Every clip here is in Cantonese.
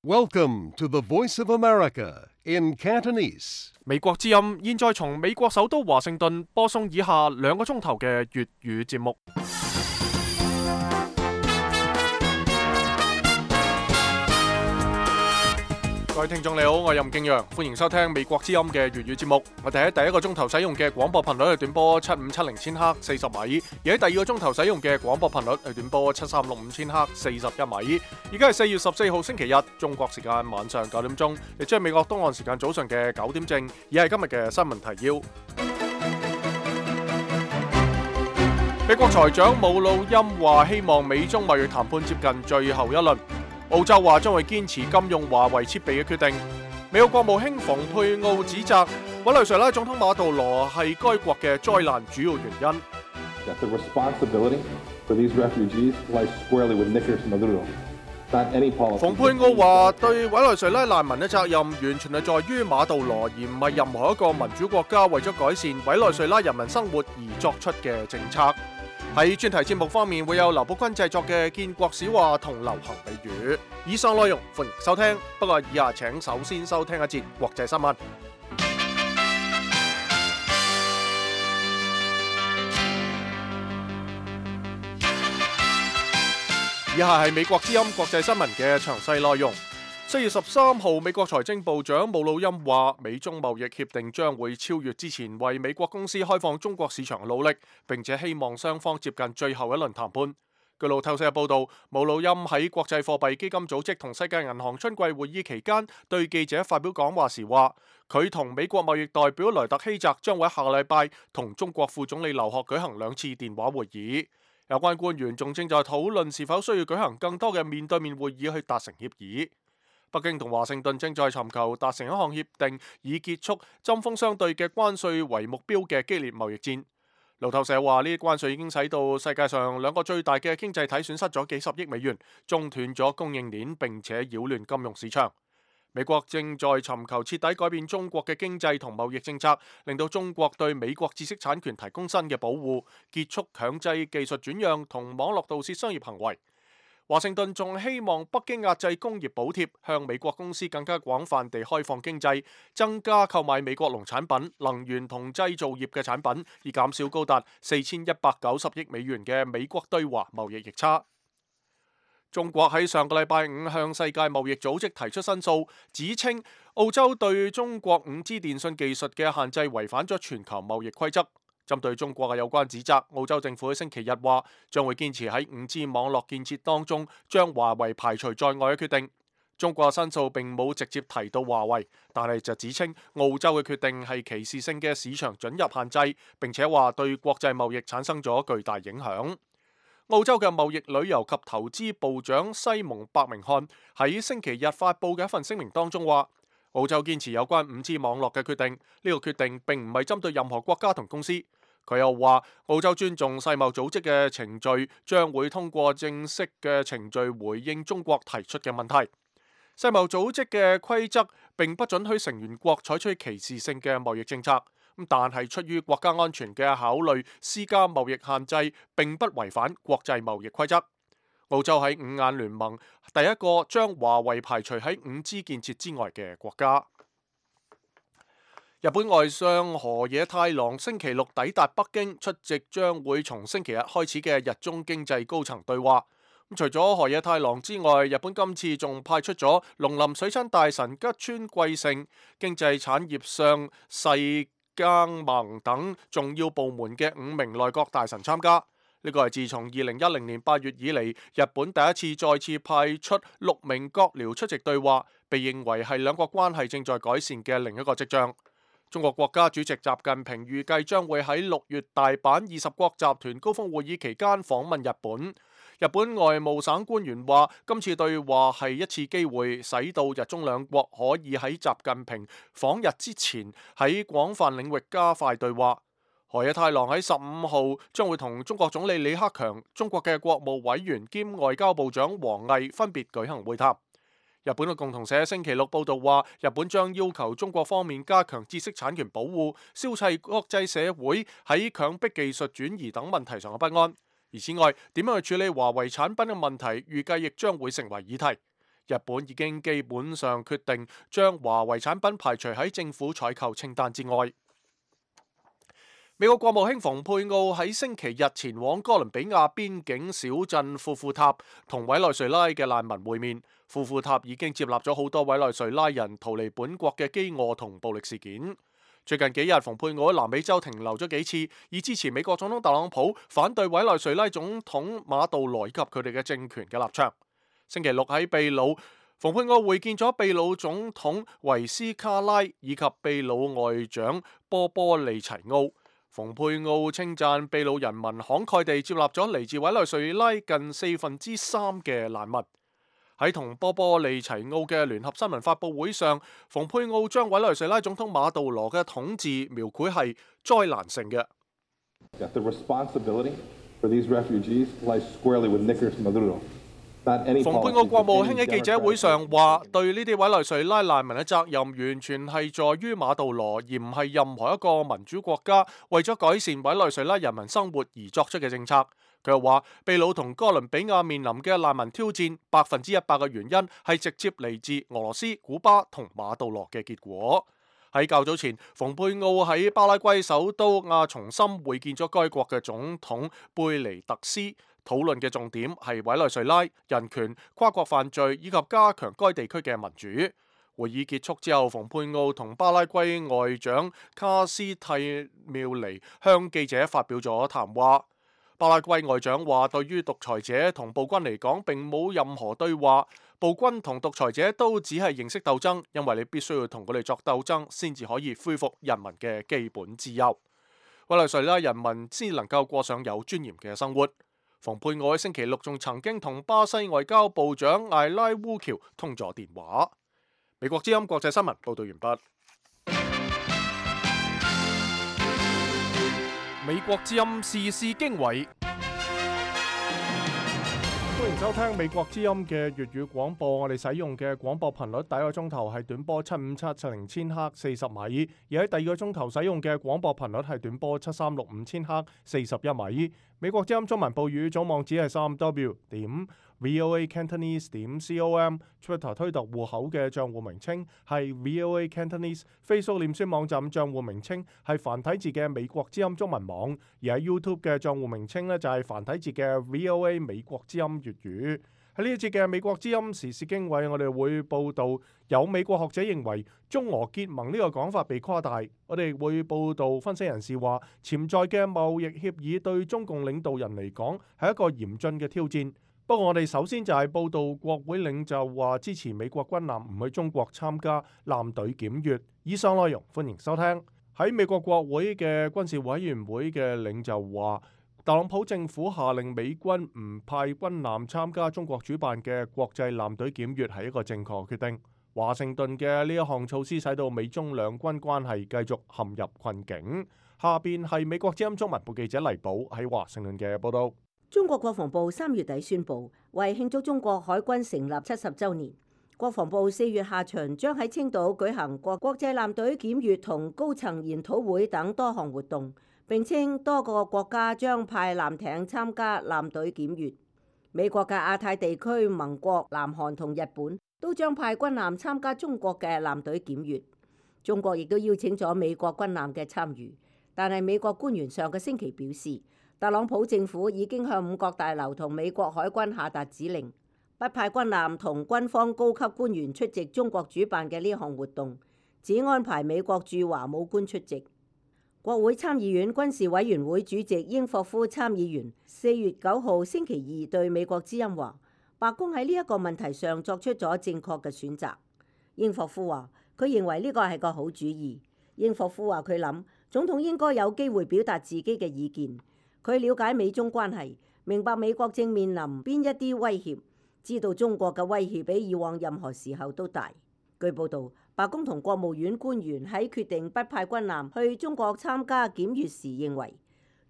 Welcome to the Voice of America in Cantonese. 美國之音現在從美國首都華盛頓播送以下2個鐘頭嘅粵語節目。各位聽眾你好，我係任敬陽，歡迎收聽美國之音嘅粵語節目。我哋喺第一個鐘頭使用嘅廣播頻率係短波7570千赫40米，而喺第二個鐘頭使用嘅廣播頻率係短波7365千赫41米。而家係4月14號星期日，中國時間晚上9點鐘，亦即係美國東岸時間早上嘅9點正。而係今日嘅新聞提要。美國財長姆努欽話希望美中貿易談判接近最後一輪。澳洲話將會堅持禁用華為設備嘅決定。美國國務卿蓬佩奧指責委內瑞拉總統馬杜羅係該國嘅災難主要原因。蓬佩奧話對委內瑞拉難民嘅責任完全係在於馬杜羅，而唔係任何一個民主國家為咗改善委內瑞拉人民生活而作出嘅政策。喺專題節目方面會有劉寶坤製作嘅建國史話同流行俚語。以上內容歡迎收聽，不過以下請首先收聽一節國際新聞。以下係美國之音國際新聞嘅詳細內容。4月13號，美國財政部長姆努欽話，美中貿易協定將會超越之前為美國公司開放中國市場嘅努力，並且希望雙方接近最後一輪談判。據路透社報道，姆努欽喺國際貨幣基金組織同世界銀行春季會議期間對記者發表講話時話，佢同美國貿易代表萊特希澤將會喺下個禮拜同中國副總理劉鶴舉行2次電話會議。有關官員仲正在討論是否需要舉行更多嘅面對面會議去達成協議。北京同華盛頓正在尋求達成一項協定，以結束針鋒相對嘅關稅為目標嘅激烈貿易戰。路透社話，呢啲關稅已經使到世界上2個最大嘅經濟體損失咗幾十億美元，中斷咗供應鏈，並且擾亂金融市場。美國正在尋求徹底改變中國嘅經濟同貿易政策，令到中國對美國知識產權提供新嘅保護，結束強制技術轉讓同網絡盜竊商業行為。華盛頓仲希望北京壓制工業補貼，向美國公司更加廣泛地開放經濟，增加購買美國農產品、能源同製造業嘅產品，以減少高達4190億美元嘅美國對華貿易逆差。中國喺上個禮拜5向世界貿易組織提出申訴，指稱澳洲對中國5G 電信技術嘅限制違反咗全球貿易規則。針對中國嘅有關指責，澳洲政府喺星期日話將會堅持喺5G 網絡建設當中將華為排除在外嘅決定。中國嘅申訴並冇直接提到華為，但係就指稱澳洲嘅決定係歧視性嘅市場准入限制，並且話對國際貿易產生咗巨大影響。澳洲嘅貿易旅遊及投資部長西蒙伯明翰喺星期日發佈嘅一份聲明當中話，澳洲堅持有關5G 網絡嘅決定，呢個決定並唔係針對任何國家同公司。佢又話，澳洲尊重世貿組織嘅程序，將會通過正式嘅程序回應中國提出嘅問題。世貿組織嘅規則並不准許成員國採取歧視性嘅貿易政策，但係出於國家安全嘅考慮，施加貿易限制並不違反國際貿易規則。澳洲喺5眼聯盟第一個將華為排除喺5G 建設之外嘅國家。日本外相河野太郎星期六抵達北京，出席將會從星期日開始嘅日中經濟高層對話。除咗河野太郎之外，日本今次仲派出咗農林水產大臣吉川貴盛、經濟產業相細耕盟等重要部門嘅5名內閣大臣參加。呢個係自從2010年8月以嚟，日本第一次再次派出6名閣僚出席對話，被認為係兩國關係正在改善嘅另一個跡象。中國國家主席習近平預計將會喺6月大阪20國集團高峰會議期間訪問日本。日本外務省官員話，今次對話係一次機會，使到日中兩國可以喺習近平訪日之前喺廣泛領域加快對話。河野太郎喺15號將會同中國總理李克強、中國嘅國務委員兼外交部長王毅分別舉行會談。日本嘅共同社星期六報道話，日本將要求中國方面加強知識產權保護，消除國際社會喺強迫技術轉移等問題上嘅不安。而此外，點樣去處理華為產品嘅問題，預計亦將會成為議題。日本已經基本上決定將華為產品排除喺政府採購清單之外。美國國務卿蓬佩奧喺星期日前往哥倫比亞邊境小鎮庫庫塔同委內瑞拉嘅難民會面。庫庫塔已經接納咗好多委內瑞拉人逃離本國嘅飢餓同暴力事件。最近幾日，蓬佩奧喺南美洲停留咗幾次，以支持美國總統特朗普反對委內瑞拉總統馬杜羅以及佢哋嘅政權嘅立場。星期六喺秘魯，蓬佩奧會見咗秘魯總統維斯卡拉以及秘魯外長波波利齊奧。蓬佩奧稱讚秘魯人民慷慨地接納咗嚟自委內瑞拉近3/4嘅難民。喺同波波利齊奧嘅聯合新聞發佈會上，蓬佩奧將委內瑞拉總統馬杜羅嘅統治描繪係災難性嘅。蓬佩奧國務卿喺記者會上話，對呢啲委內瑞拉難民嘅責任完全係在於馬杜羅，而唔係任何一個民主國家為咗改善委內瑞拉人民生活而作出嘅政策。佢又話，秘魯同哥倫比亞面臨嘅難民挑戰100%嘅原因係直接嚟自俄羅斯、古巴同馬杜羅嘅結果。喺較早前，蓬佩奧喺巴拉圭首都亞松森會見咗該國嘅總統貝尼特斯，討論嘅重點係委內瑞拉、人權、跨國犯罪以及加強該地區嘅民主。會議結束之後，蓬佩奧同巴拉圭外長卡斯蒂妙尼向記者發表咗談話。巴拉圭外長話，對於獨裁者同暴君嚟講並冇任何對話，暴君同獨裁者都只係形式鬥爭，因為你必須要同佢哋作鬥爭先至可以恢復人民嘅基本自由，委內瑞拉人民先能夠過上有尊嚴嘅生活。蓬佩奧喺星期六仲曾經同巴西外交部長艾拉烏喬通咗電話。美國之音國際新聞報道完畢。美國之音時事經緯，歡迎收聽美國之音嘅粵語廣播。我哋使用嘅廣播頻率第一個鐘頭係短波75770千赫40米，而喺第二個鐘頭使用嘅廣播頻率係短波7365千赫41米。美國之音中文報語總網址係3w.voacantonese.com，Twitter 推特戶口嘅賬戶名稱係 VOA Cantonese，Facebook 臉書網站賬戶名稱係繁體字嘅美國之音中文網，而喺 YouTube 嘅賬戶名稱呢，就係繁體字嘅 VOA 美國之音粵語。喺呢一節嘅美國之音時事經緯，我哋會報道有美國學者認為中俄結盟呢個講法被誇大。我哋會報道分析人士話，潛在嘅貿易協議對中共領導人嚟講係一個嚴峻嘅挑戰。不過我哋首先就係報道國會領袖話支持美國軍艦唔去中國參加艦隊檢閱。以上內容歡迎收聽。喺美國國會嘅軍事委員會嘅領袖話，特朗普政府下令美軍唔派軍艦參加中國主辦嘅國際艦隊檢閱係一個正確決定。華盛頓嘅呢一項措施使到美中兩軍關係繼續陷入困境。下邊係美國之音中文部記者黎寶喺華盛頓嘅報道。中國國防部3月底宣布，為慶祝中國海軍成立70週年，國防部4月下旬將喺青島舉行國際艦隊檢閱同高層研討會等多項活動，並稱多個國家將派艦艇參加艦隊檢閱。美國嘅亞太地區盟國南韓同日本都將派軍艦參加中國嘅艦隊檢閱。中國亦都邀請咗美國軍艦嘅參與，但係美國官員上個星期表示，特朗普政府已經向五角大樓同美國海軍下達指令，不派軍艦同軍方高級官員出席中國主辦嘅呢項活動，只安排美國駐華武官出席。國會參議院軍事委員會主席英霍夫參議員4月9號星期二對美國之音話，白宮喺呢一個問題上作出咗正確嘅選擇。英霍夫話，佢認為呢個係個好主意。英霍夫話佢諗總統應該有機會表達自己嘅意見。佢了解美中關係，明白美國正面臨邊一啲威脅，知道中國嘅威脅比以往任何時候都大。據報道，白宮同國務院官員喺決定不派軍艦去中國參加檢閱時，認為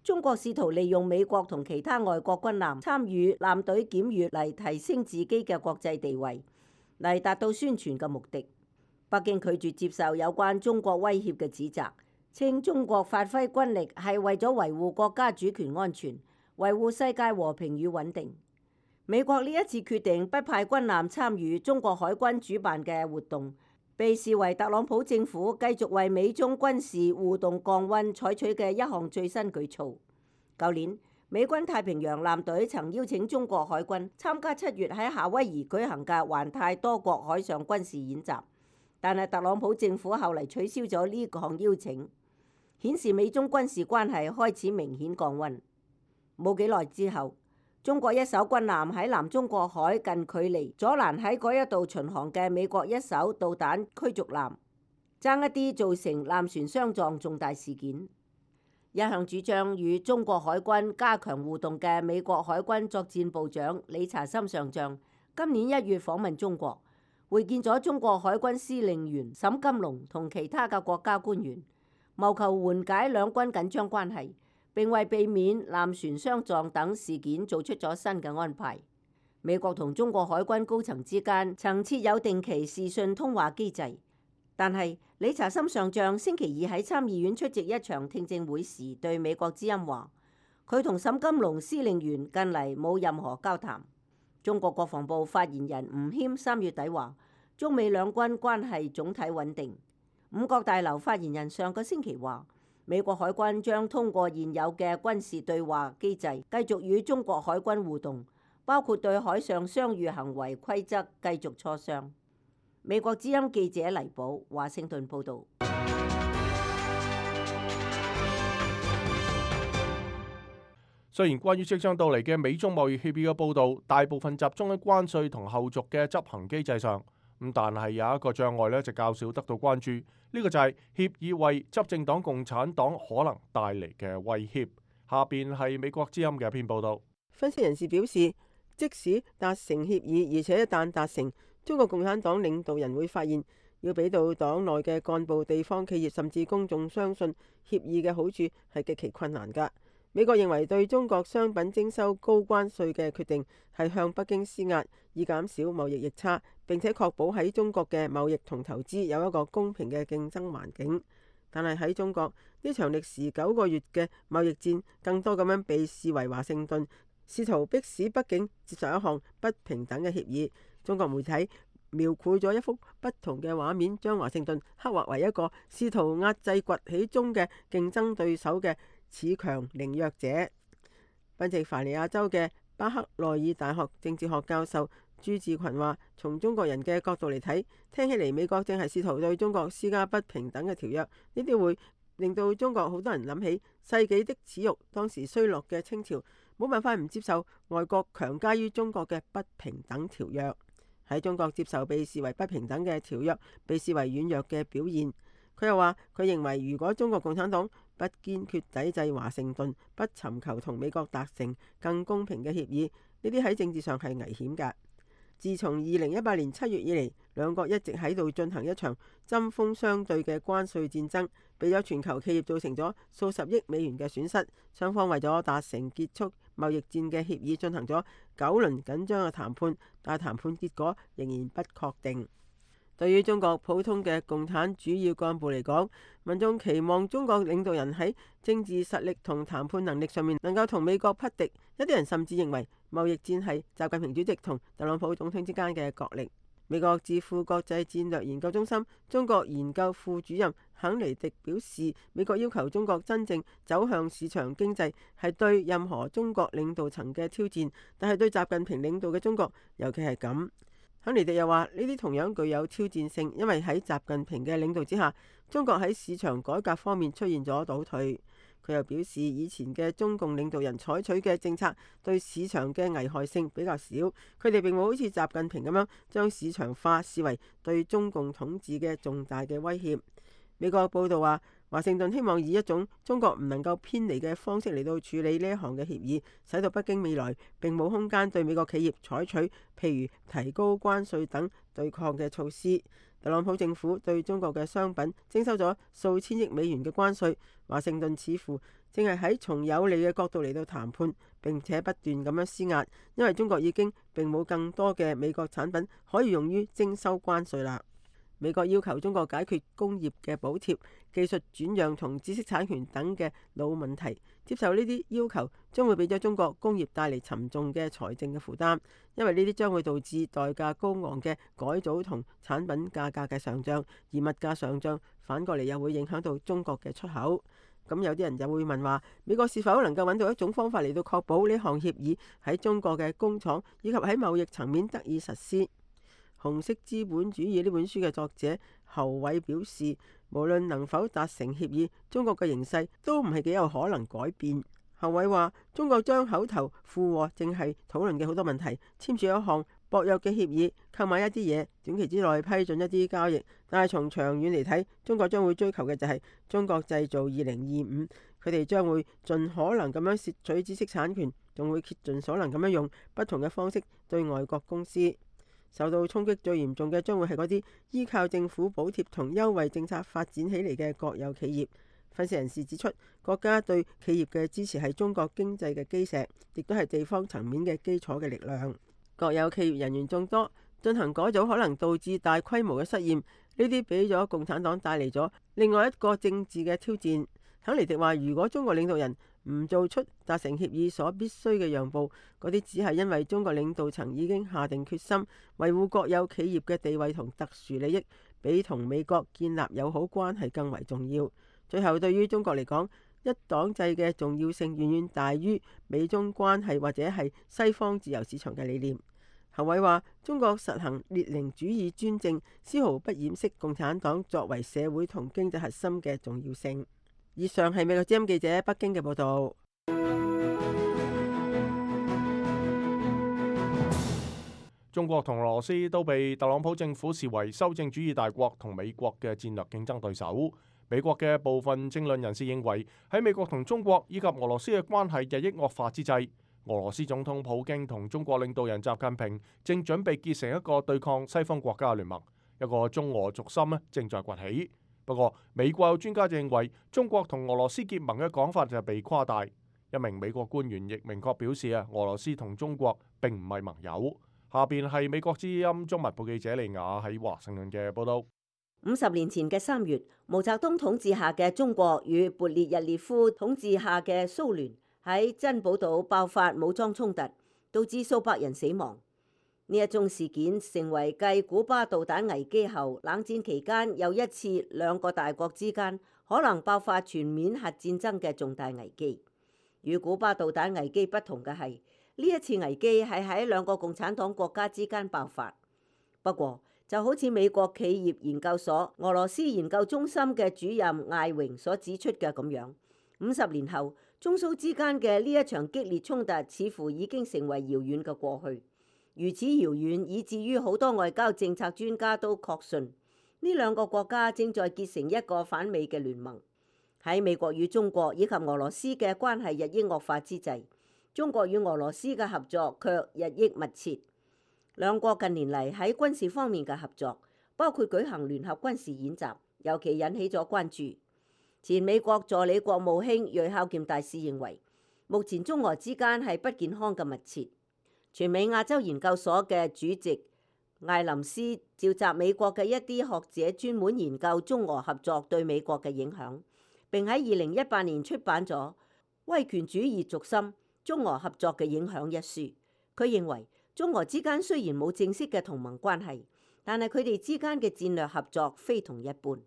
中國試圖利用美國同其他外國軍艦參與艦隊檢閱嚟提升自己嘅國際地位，嚟達到宣傳嘅目的。北京拒絕接受有關中國威脅嘅指責，稱中國發揮軍力係為咗維護國家主權安全，維護世界和平與穩定。美國呢一次決定不派軍艦參與中國海軍主辦嘅活動，被視為特朗普政府繼續為美中軍事互動降溫採取嘅一項最新舉措。舊年，美軍太平洋艦隊曾邀請中國海軍參加7月喺夏威夷舉行嘅環太多國海上軍事演習，但係特朗普政府後嚟取消咗呢項邀請，顯示美中軍事關係開始明顯降溫。冇幾耐之後，中國一艘軍艦喺南中國海近距離阻攔喺嗰一度巡航嘅美國一艘導彈驅逐艦，爭一啲造成艦船相撞重大事件。一向主張與中國海軍加強互動嘅美國海軍作戰部長理查森上將，今年1月訪問中國，會見咗中國海軍司令員沈金龍同其他嘅國家官員，謀求緩解兩軍緊張關係，並為避免艦船相撞等事件做出咗新嘅安排。美國同中國海軍高層之間曾設有定期視訊通話機制，但係理查森上將星期二喺參議院出席一場聽證會時，對美國之音話，佢同沈金龍司令員近嚟冇任何交談。中國國防部發言人吳謙3月底話，中美兩軍關係總體穩定。五角大樓發言人上個星期話，美國海軍將通過現有嘅軍事對話機制，繼續與中國海軍互動，包括對海上商業行為規則繼續磋商。美國之音記者黎寶華盛頓報導。雖然關於即將到嚟嘅美中貿易協議嘅報導，大部分集中喺關稅同後續嘅執行機制上，但係有一個障礙呢就較少得到關注，呢個就係協議為執政黨共產黨可能帶嚟嘅威脅。下邊係美國之音嘅一篇報導。分析人士表示，即使達成協議，而且一旦達成，中國共產黨領導人會發現，要俾到黨內嘅幹部、地方企業甚至公眾相信協議嘅好處係極其困難㗎。美國認為對中國商品徵收高關稅嘅決定係向北京施壓，以減少貿易逆差，並且確保喺中國嘅貿易同投資有一個公平嘅競爭環境。但係喺中國，呢場歷時9個月嘅貿易戰，更多咁樣被視為華盛頓試圖迫使北京接受一項不平等嘅協議。中國媒體描繪咗一幅不同嘅畫面，將華盛頓刻畫為一個試圖壓制崛起中嘅競爭對手嘅恃強凌弱者。賓夕凡尼亞州嘅巴克內爾大學政治學教授朱志群話，從中國人嘅角度嚟睇，聽起嚟美國正係試圖對中國施加不平等嘅條約，呢啲會令到中國好多人諗起世紀的恥辱，當時衰落嘅清朝冇辦法唔接受外國強加於中國嘅不平等條約。喺中國接受被視為不平等嘅條約，被視為軟弱嘅表現。佢又話，佢認為如果中國共產黨不堅決抵制華盛頓，不尋求同美國達成更公平嘅協議，呢啲喺政治上係危險㗎。自從2018年7月以嚟，兩國一直喺度進行一場針鋒相對嘅關稅戰爭，俾咗全球企業造成咗數十億美元嘅損失。雙方為咗達成結束貿易戰嘅協議，進行咗9輪緊張嘅談判，但係談判結果仍然不確定。對於中國普通嘅共產主要幹部嚟講，民眾期望中國領導人喺政治實力同談判能力上面能夠同美國匹敵。一啲人甚至認為貿易戰係習近平主席同特朗普總統之間嘅角力。美國智庫國際戰略研究中心中國研究副主任肯尼迪表示，美國要求中國真正走向市場經濟係對任何中國領導層嘅挑戰，但係對習近平領導嘅中國尤其係咁。肯尼迪又話，呢啲同樣具有挑戰性，因為喺習近平嘅領導之下，中國喺市場改革方面出現咗倒退。佢又表示，以前嘅中共領導人採取嘅政策對市場嘅危害性比較少，佢哋並冇好似習近平咁樣將市場化視為對中共統治嘅重大嘅威脅。美國報道話，華盛頓希望以一種中國唔能夠偏離嘅方式嚟到處理呢一項嘅協議，使到北京未來並冇空間對美國企業採取譬如提高關稅等對抗嘅措施。特朗普政府對中國嘅商品徵收咗數千億美元嘅關稅，華盛頓似乎正係喺從有利嘅角度嚟到談判，並且不斷咁樣施壓，因為中國已經並冇更多嘅美國產品可以用於徵收關稅啦。美國要求中國解決工業嘅補貼、技術轉讓同知識產權等嘅老問題。接受呢啲要求將會俾咗中國工業帶嚟沉重嘅財政嘅負擔，因為呢啲將會導致代價高昂嘅改組同產品價格嘅上漲，而物價上漲反過嚟又會影響到中國嘅出口。咁有啲人就會問話，美國是否能夠揾到一種方法嚟到確保呢項協議喺中國嘅工廠以及喺貿易層面得以實施？《紅色資本主義》呢本書嘅作者侯偉表示，無論能否達成協議，中國嘅形勢都唔係幾有可能改變。侯偉話：中國將口頭附和正係討論嘅好多問題，簽署一項薄弱嘅協議，購買一啲嘢，短期之內批准一啲交易。但係從長遠嚟睇，中國將會追求嘅就係中國製造2025。佢哋將會盡可能咁樣竊取知識產權，仲會竭盡所能咁樣用不同嘅方式對外國公司。受到衝擊最嚴重嘅將會係嗰啲依靠政府補貼同優惠政策發展起嚟嘅國有企業。分析人士指出，國家對企業嘅支持係中國經濟嘅基石，亦都係地方層面嘅基礎嘅力量。國有企業人員眾多，進行改組可能導致大規模嘅失業，呢啲俾咗共產黨帶嚟咗另外一個政治嘅挑戰。肯尼迪話：如果中國領導人唔做出達成協議所必須嘅讓步，嗰啲只係因為中國領導層已經下定決心維護國有企業嘅地位同特殊利益，比同美國建立友好關係更為重要。最後，對於中國嚟講，一黨制嘅重要性遠遠大於美中關係或者係西方自由市場嘅理念。侯偉話：中國實行列寧主義專政，絲毫不掩飾共產黨作為社會同經濟核心嘅重要性。以上係美國之音記者北京嘅報道。中國同俄羅斯都被特朗普政府視為修正主義大國同美國嘅戰略競爭對手。美國嘅部分政論人士認為，喺美國同中國以及俄羅斯嘅關係日益惡化之際，俄羅斯總統普京同中國領導人習近平正準備結成一個對抗西方國家嘅聯盟，一個中俄軸心正在崛起。不過，美國有專家認為，中國同俄羅斯結盟嘅講法就係被誇大。一名美國官員亦明確表示俄羅斯同中國並唔係盟友。下邊係美國之音中文部記者利亞喺華盛頓嘅報道。50年前嘅3月，毛澤東統治下嘅中國與勃列日涅夫統治下嘅蘇聯喺珍寶島爆發武裝衝突，導致數百人死亡。呢一宗事件成為繼古巴導彈危機後，冷戰期間又一次兩個大國之間可能爆發全面核戰爭嘅重大危機。與古巴導彈危機不同嘅係，呢一次危機係喺兩個共產黨國家之間爆發。不過就好似美國企業研究所俄羅斯研究中心嘅主任艾榮所指出嘅咁樣，50年後中蘇之間嘅呢一場激烈衝突似乎已經成為遙遠嘅過去。如此遙遠，以至於好多外交政策專家都確信呢兩個國家正在結成一個反美嘅聯盟。喺美國與中國以及俄羅斯嘅關係日益惡化之際，中國與俄羅斯嘅合作卻日益密切。兩國近年嚟喺軍事方面嘅合作，包括舉行聯合軍事演習，尤其引起咗關注。前美國助理國務卿芮孝儉大使認為，目前中俄之間係不健康嘅密切。全美亞洲研究所嘅主席艾林斯召集美國嘅一啲學者，專門研究中俄合作對美國嘅影響，並喺2018年出版咗《威權主義軸心：中俄合作嘅影響》一書。佢認為中俄之間雖然冇正式嘅同盟關係，但係佢哋之間嘅戰略合作非同一般。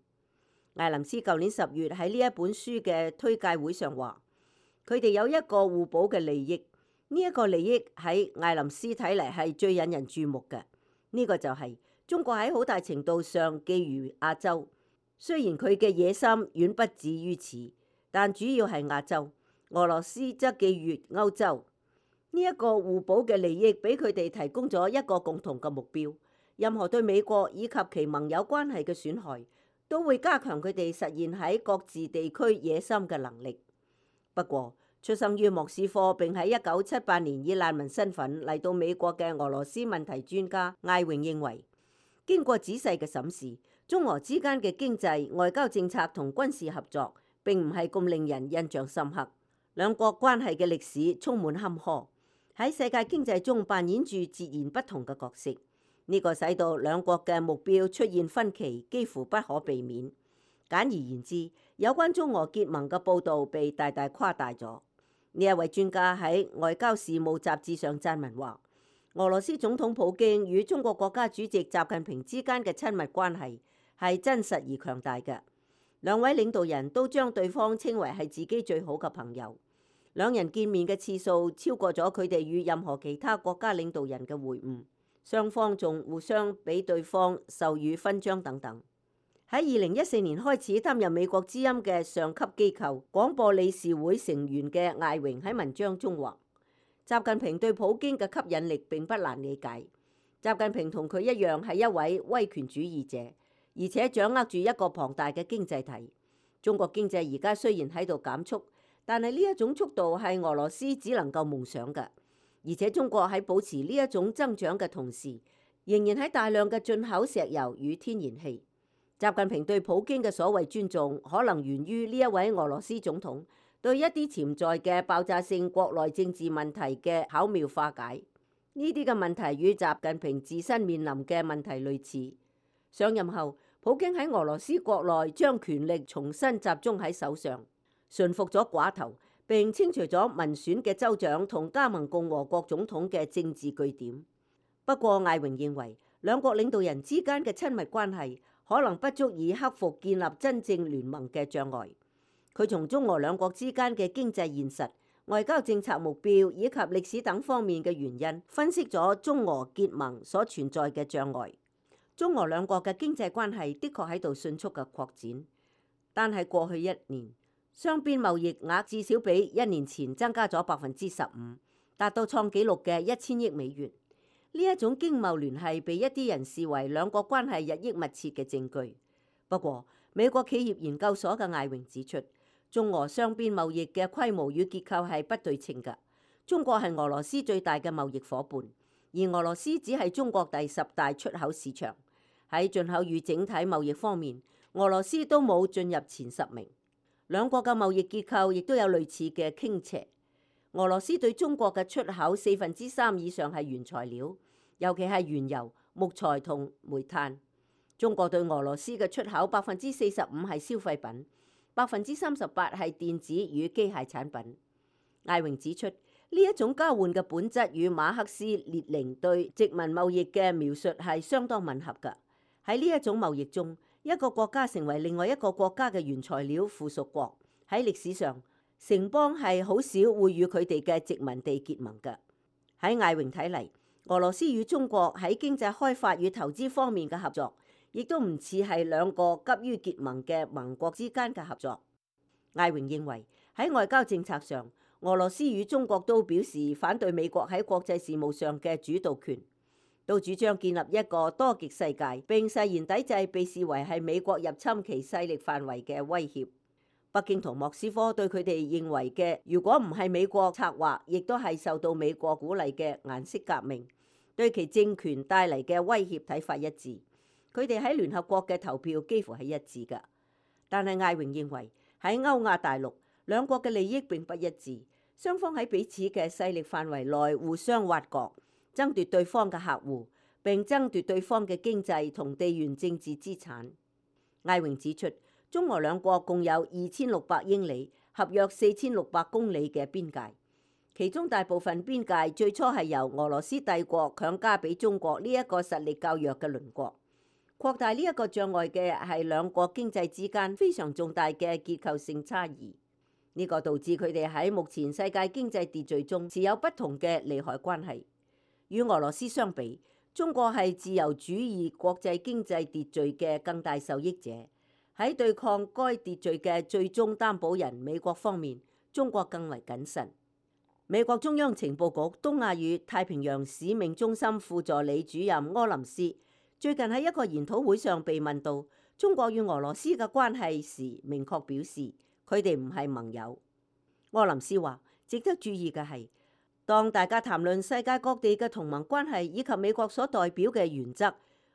艾林斯舊年10月喺呢一本書嘅推介會上話，佢哋有一個互補嘅利益。呢一個利益喺艾林斯睇嚟係最引人注目嘅。呢個就係中國喺好大程度上覬覦亞洲，雖然佢嘅野心遠不止於此，但主要係亞洲。俄羅斯則覬覦歐洲。呢一個互補嘅利益俾佢哋提供咗一個共同嘅目標。任何對美國以及其盟友關係嘅損害，都會加強佢哋實現喺各自地區野心嘅能力。不過，出生於莫斯科並喺1978年以難民身份嚟到美國嘅俄羅斯問題專家艾榮認為，經過仔細嘅審視，中俄之間嘅經濟、外交政策同軍事合作並唔係咁令人印象深刻。兩國關係嘅歷史充滿坎坷，喺世界經濟中扮演住截然不同嘅角色。呢個使到兩國嘅目標出現分歧，幾乎不可避免。簡而言之，有關中俄結盟嘅報導被大大誇大咗。呢一位專家喺《外交事務》雜誌上撰文話，俄羅斯總統普京與中國國家主席習近平之間嘅親密關係係真實而強大嘅。兩位領導人都將對方稱為係自己最好嘅朋友。兩人見面嘅次數超過咗佢哋與任何其他國家領導人嘅會晤。雙方仲互相俾對方授予勳章等等。喺2014年開始擔任美國之音嘅上級機構廣播理事會成員嘅艾榮喺文章中話，習近平對普京嘅吸引力並不難理解。習近平同佢一樣係一位威權主義者，而且掌握住一個龐大嘅經濟體。中國經濟而家雖然喺度減速，但係呢一種速度係俄羅斯只能夠夢想嘅。而且中國喺保持呢一種增長嘅同時，仍然喺大量嘅進口石油與天然氣。習近平對普京嘅所謂尊重，可能源於呢一位俄羅斯總統對一啲潛在嘅爆炸性國內政治問題嘅巧妙化解。呢啲嘅問題與習近平自身面臨嘅問題類似。上任後，普京喺俄羅斯國內將權力重新集中喺手上，馴服咗寡頭，並清除咗民選嘅州長同加盟共和國總統嘅政治據點。不過艾榮認為，兩國領導人之間嘅親密關係可能不足以克服建立真正聯盟嘅障礙。佢從中俄兩國之間嘅經濟現實、外交政策目標以及歷史等方面嘅原因，分析咗中俄結盟所存在嘅障礙。中俄兩國嘅經濟關係的確喺度迅速嘅擴展，但係過去一年，雙邊貿易額至少比1年前增加咗15%，達到創紀錄嘅1000億美元。呢一種經貿聯繫被一啲人視為兩國關係日益密切嘅證據。不過，美國企業研究所嘅艾榮指出，中俄雙邊貿易嘅規模與結構係不對稱嘅。中國係俄羅斯最大嘅貿易夥伴，而俄羅斯只係中國第10大出口市場。喺進口與整體貿易方面，俄羅斯都冇進入前10名。兩國嘅貿易結構亦都有類似嘅傾斜。俄羅斯對中國嘅出口3%以上係原材料，尤其係原油、木材同煤炭。中國對俄羅斯嘅出口45%係消費品，38%係電子與機械產品。艾榮指出，呢一種交換嘅本質與馬克思列寧對殖民貿易嘅描述係相當吻合㗎。喺呢一種貿易中，一個國家成為另外一個國家嘅原材料附屬國。喺歷史上，城邦係好少會與佢哋嘅殖民地結盟嘅。喺艾榮睇嚟，俄羅斯與中國喺經濟開發與投資方面嘅合作，亦都唔似係兩個急於結盟嘅盟國之間嘅合作。艾榮認為喺外交政策上，俄羅斯與中國都表示反對美國喺國際事務上嘅主導權，都主張建立一個多極世界，並誓言抵制被視為係美國入侵其勢力範圍嘅威脅。北京同莫斯科對佢哋認為嘅，如果唔係美國策劃，亦都係受到美國鼓勵嘅顏色革命，對其政權帶嚟嘅威脅睇法一致。佢哋喺聯合國嘅投票幾乎係一致㗎。但係艾榮認為喺歐亞大陸，兩國嘅利益並不一致，雙方喺彼此嘅勢力範圍內互相挖角，爭奪對方嘅客戶，並爭奪對方嘅經濟同地緣政治資產。艾榮指出，中俄兩國共有2600英里、合約4600公里嘅邊界，其中大部分邊界最初係由俄羅斯帝國強加俾中國呢一個實力較弱嘅鄰國。擴大呢一個障礙嘅係兩國經濟之間非常重大嘅結構性差異，呢個導致佢哋喺目前世界經濟秩序中持有不同嘅利害關係。與俄羅斯相比，中國係自由主義國際經濟秩序嘅更大受益者。喺對抗該秩序嘅最終擔保人美國方面，中國更為謹慎。美國中央情報局東亞與太平洋使命中心副助理主任柯林斯最近喺一個研討會上被問到中國與俄羅斯嘅關係時，明確表示佢哋唔係盟友。柯林斯話：值得注意嘅係，當大家談論世界各地嘅同盟關係以及美國所代表嘅原則、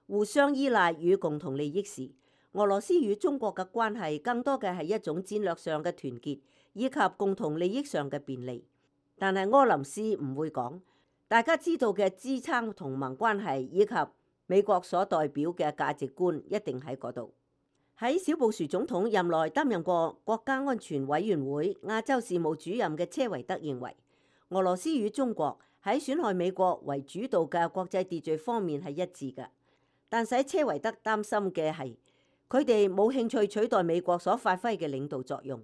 互相依賴與共同利益時，俄羅斯與中國嘅關係更多嘅係一種戰略上嘅團結，以及共同利益上嘅便利。但係柯林斯唔會講，大家知道嘅支撐同盟關係以及美國所代表嘅價值觀一定喺嗰度。喺小布殊總統任內擔任過國家安全委員會亞洲事務主任嘅車維德認為，俄羅斯與中國喺損害美國為主導嘅國際秩序方面係一致嘅，但使車維德擔心嘅係佢哋冇興趣取代美國所發揮嘅領導作用。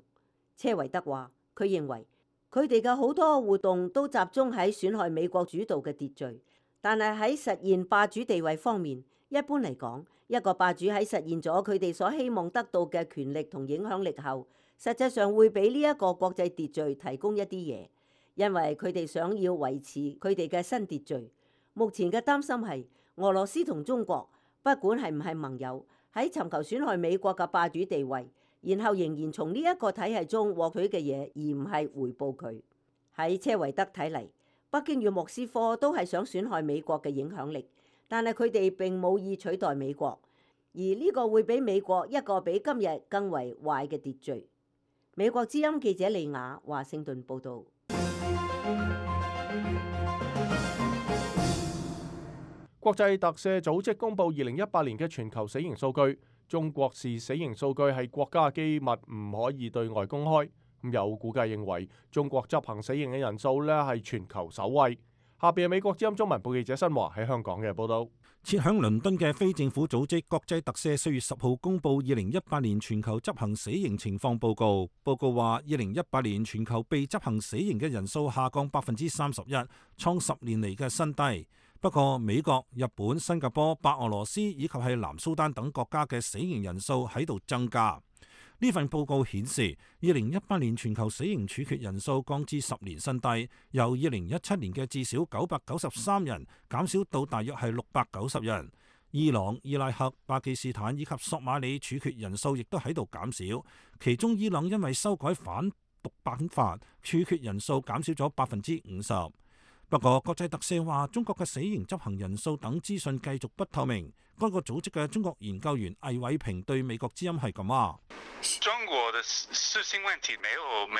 車維德話，佢認為佢哋嘅好多活動都集中喺損害美國主導嘅秩序，但係喺實現霸主地位方面，一般嚟講，一個霸主喺實現咗佢哋所希望得到嘅權力同影響力後，實際上會俾呢一個國際秩序提供一啲嘢，因為佢哋想要維持佢哋嘅新秩序。目前嘅擔心係俄羅斯同中國不管係唔係盟友，喺尋求損害美國嘅霸主地位，然後仍然從呢一個體系中獲取嘅嘢，而唔係回報佢。喺車維德睇嚟，北京與莫斯科都係想損害美國嘅影響力，但係佢哋並冇意取代美國，而呢個會俾美國一個比今日更為壞嘅秩序。美國之音記者利亞華盛頓報導。國際特赦組織公佈2018年嘅全球死刑數據，中國視死刑數據係國家機密，唔可以對外公開。有估計認為中國執行死刑嘅人數係全球首位。下邊係美國之音中文部記者新華喺香港嘅報道。設響倫敦嘅非政府組織國際特赦4月10號公佈2018年全球執行死刑情況報告。報告話，2018年全球被執行死刑嘅人數下降31%，創10年嚟嘅新低。不過，美國、日本、新加坡、白俄羅斯以及係南蘇丹等國家嘅死刑人數喺度增加。呢份報告顯示，2018年全球死刑處決人數降至10年新低，由2017年嘅至少993人減少到大約係690人。伊朗、伊拉克、巴基斯坦以及索馬里處決人數亦都喺度減少，其中伊朗因為修改反毒版法，處決人數減少咗50%。不過，國際特赦話中國嘅死刑執行人數等資訊繼續不透明。該個組織嘅中國研究員魏偉平對美國之音係咁話：中國的死刑問題沒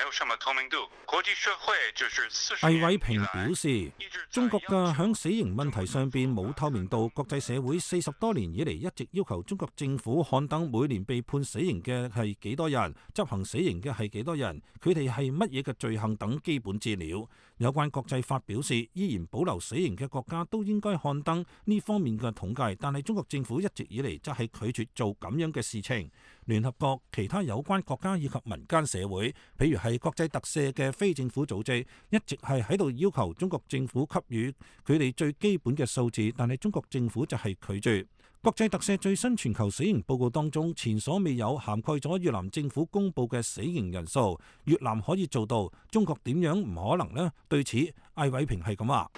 有什麼透明度，國際社會就是魏偉平表示，中國嘅響死刑問題上邊冇透明度，國際社會40多年以嚟一直要求中國政府刊登每年被判死刑嘅係幾多人，執行死刑嘅係幾多人，佢哋係乜嘢嘅罪行等基本資料。有關國際法表示，依然保留死刑嘅國家都應該刊登呢方面嘅統計，但係中國政府一直以嚟則係拒絕做咁樣嘅事情。聯合國其他有關國家以及民間社會，譬如係國際特赦嘅非政府組織，一直係喺度要求中國政府給予佢哋最基本嘅數字，但係中國政府就係拒絕。國際特赦最新全球死刑報告當中，前所未有涵蓋咗越南政府公佈嘅死刑人數。越南可以做到，中國點樣唔可能呢？對此，艾偉平係咁話。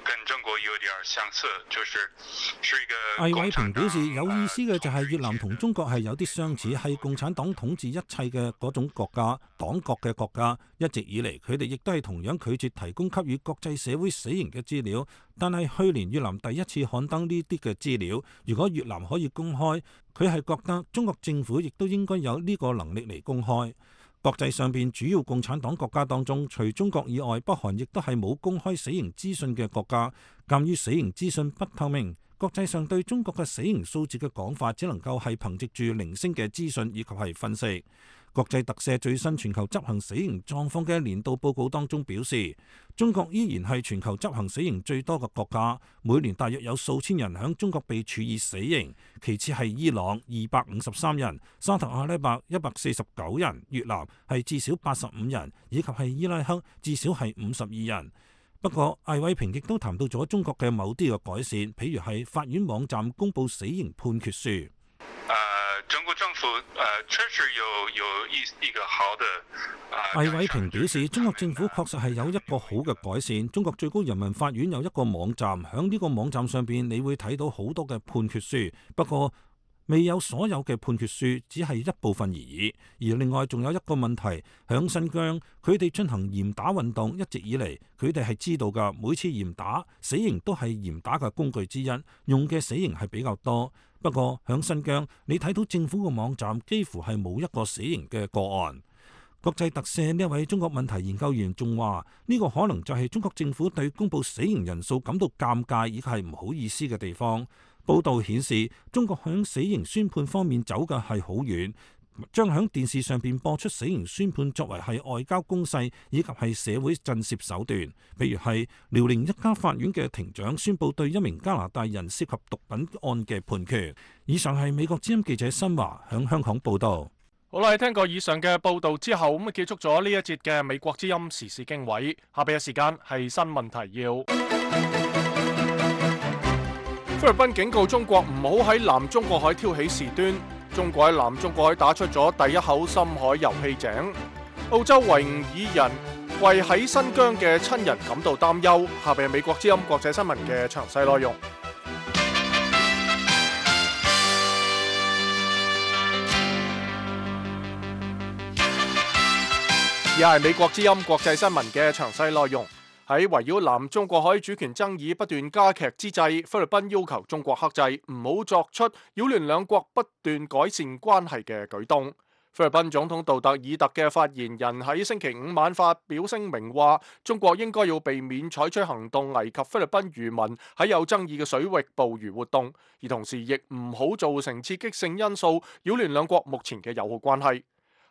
跟中國有點相似，是一個。魏偉平表示，有意思嘅就係越南同中國係有啲相似，係共產黨統治一切嘅嗰種國家，黨國嘅國家。一直以嚟，佢哋亦都係同樣拒絕提供給予國際社會死刑嘅資料。但係去年越南第一次刊登呢啲嘅資料，如果越南可以公開，佢係覺得中國政府亦都應該有呢個能力嚟公開。國際上邊主要共產黨國家當中，除中國以外，北韓亦都係冇公開死刑資訊嘅國家。鑑於死刑資訊不透明，國際上對中國嘅死刑數字嘅講法，只能夠係憑藉住零星嘅資訊以及係分析。國際特赦最新全球執行死刑狀況嘅年度報告當中表示，中國依然係全球執行死刑最多嘅國家，每年大約有數千人響中國被處以死刑，其次係伊朗253人，沙特阿拉伯149人，越南係至少85人，以及係伊拉克至少係52人。不過，艾偉平亦都談到咗中國嘅某啲嘅改善，譬如係法院網站公佈死刑判決書。中國政府確實有一個好的。魏偉平表示，中國政府確實係有一個好嘅改善。中國最高人民法院有一個網站，響呢個網站上邊，你會睇到好多嘅判決書。不過，未有所有嘅判決書，只係一部分而已。而另外仲有一個問題，響新疆，佢哋進行嚴打運動，一直以嚟佢哋係知道㗎，每次嚴打死刑都係嚴打嘅工具之一，用嘅死刑係比較多。不過響新疆，你睇到政府嘅網站幾乎係冇一個死刑嘅個案。國際特赦呢一位中國問題研究員仲話：呢個可能就係中國政府對公佈死刑人數感到尷尬以及係唔好意思嘅地方。報道顯示，中國響死刑宣判方面走嘅係好遠，將響電視上邊播出死刑宣判作為係外交攻勢以及係社會震懾手段。譬如係遼寧一家法院嘅庭長宣佈對一名加拿大人涉及毒品案嘅判決。以上係美國之音記者新華響香港報道。好啦，聽過以上嘅報道之後，咁結束咗呢一節嘅美國之音時事經緯。下邊嘅時間係新聞提要。菲律賓警告中國唔好喺南中國海挑起事端。中國喺南中國海打出咗第一口深海油氣井。澳洲維吾爾人為喺新疆嘅親人感到擔憂。下邊係美國之音國際新聞嘅詳細內容。而係美國之音國際新聞嘅詳細內容。喺圍繞南中國海主權爭議不斷加劇之際，菲律賓要求中國克制，唔好作出擾亂兩國不斷改善關係嘅舉動。菲律賓總統杜特爾特嘅發言人喺星期五晚發表聲明話，中國應該要避免採取行動危及菲律賓漁民喺有爭議嘅水域捕魚活動，而同時亦唔好造成刺激性因素，擾亂兩國目前嘅友好關係。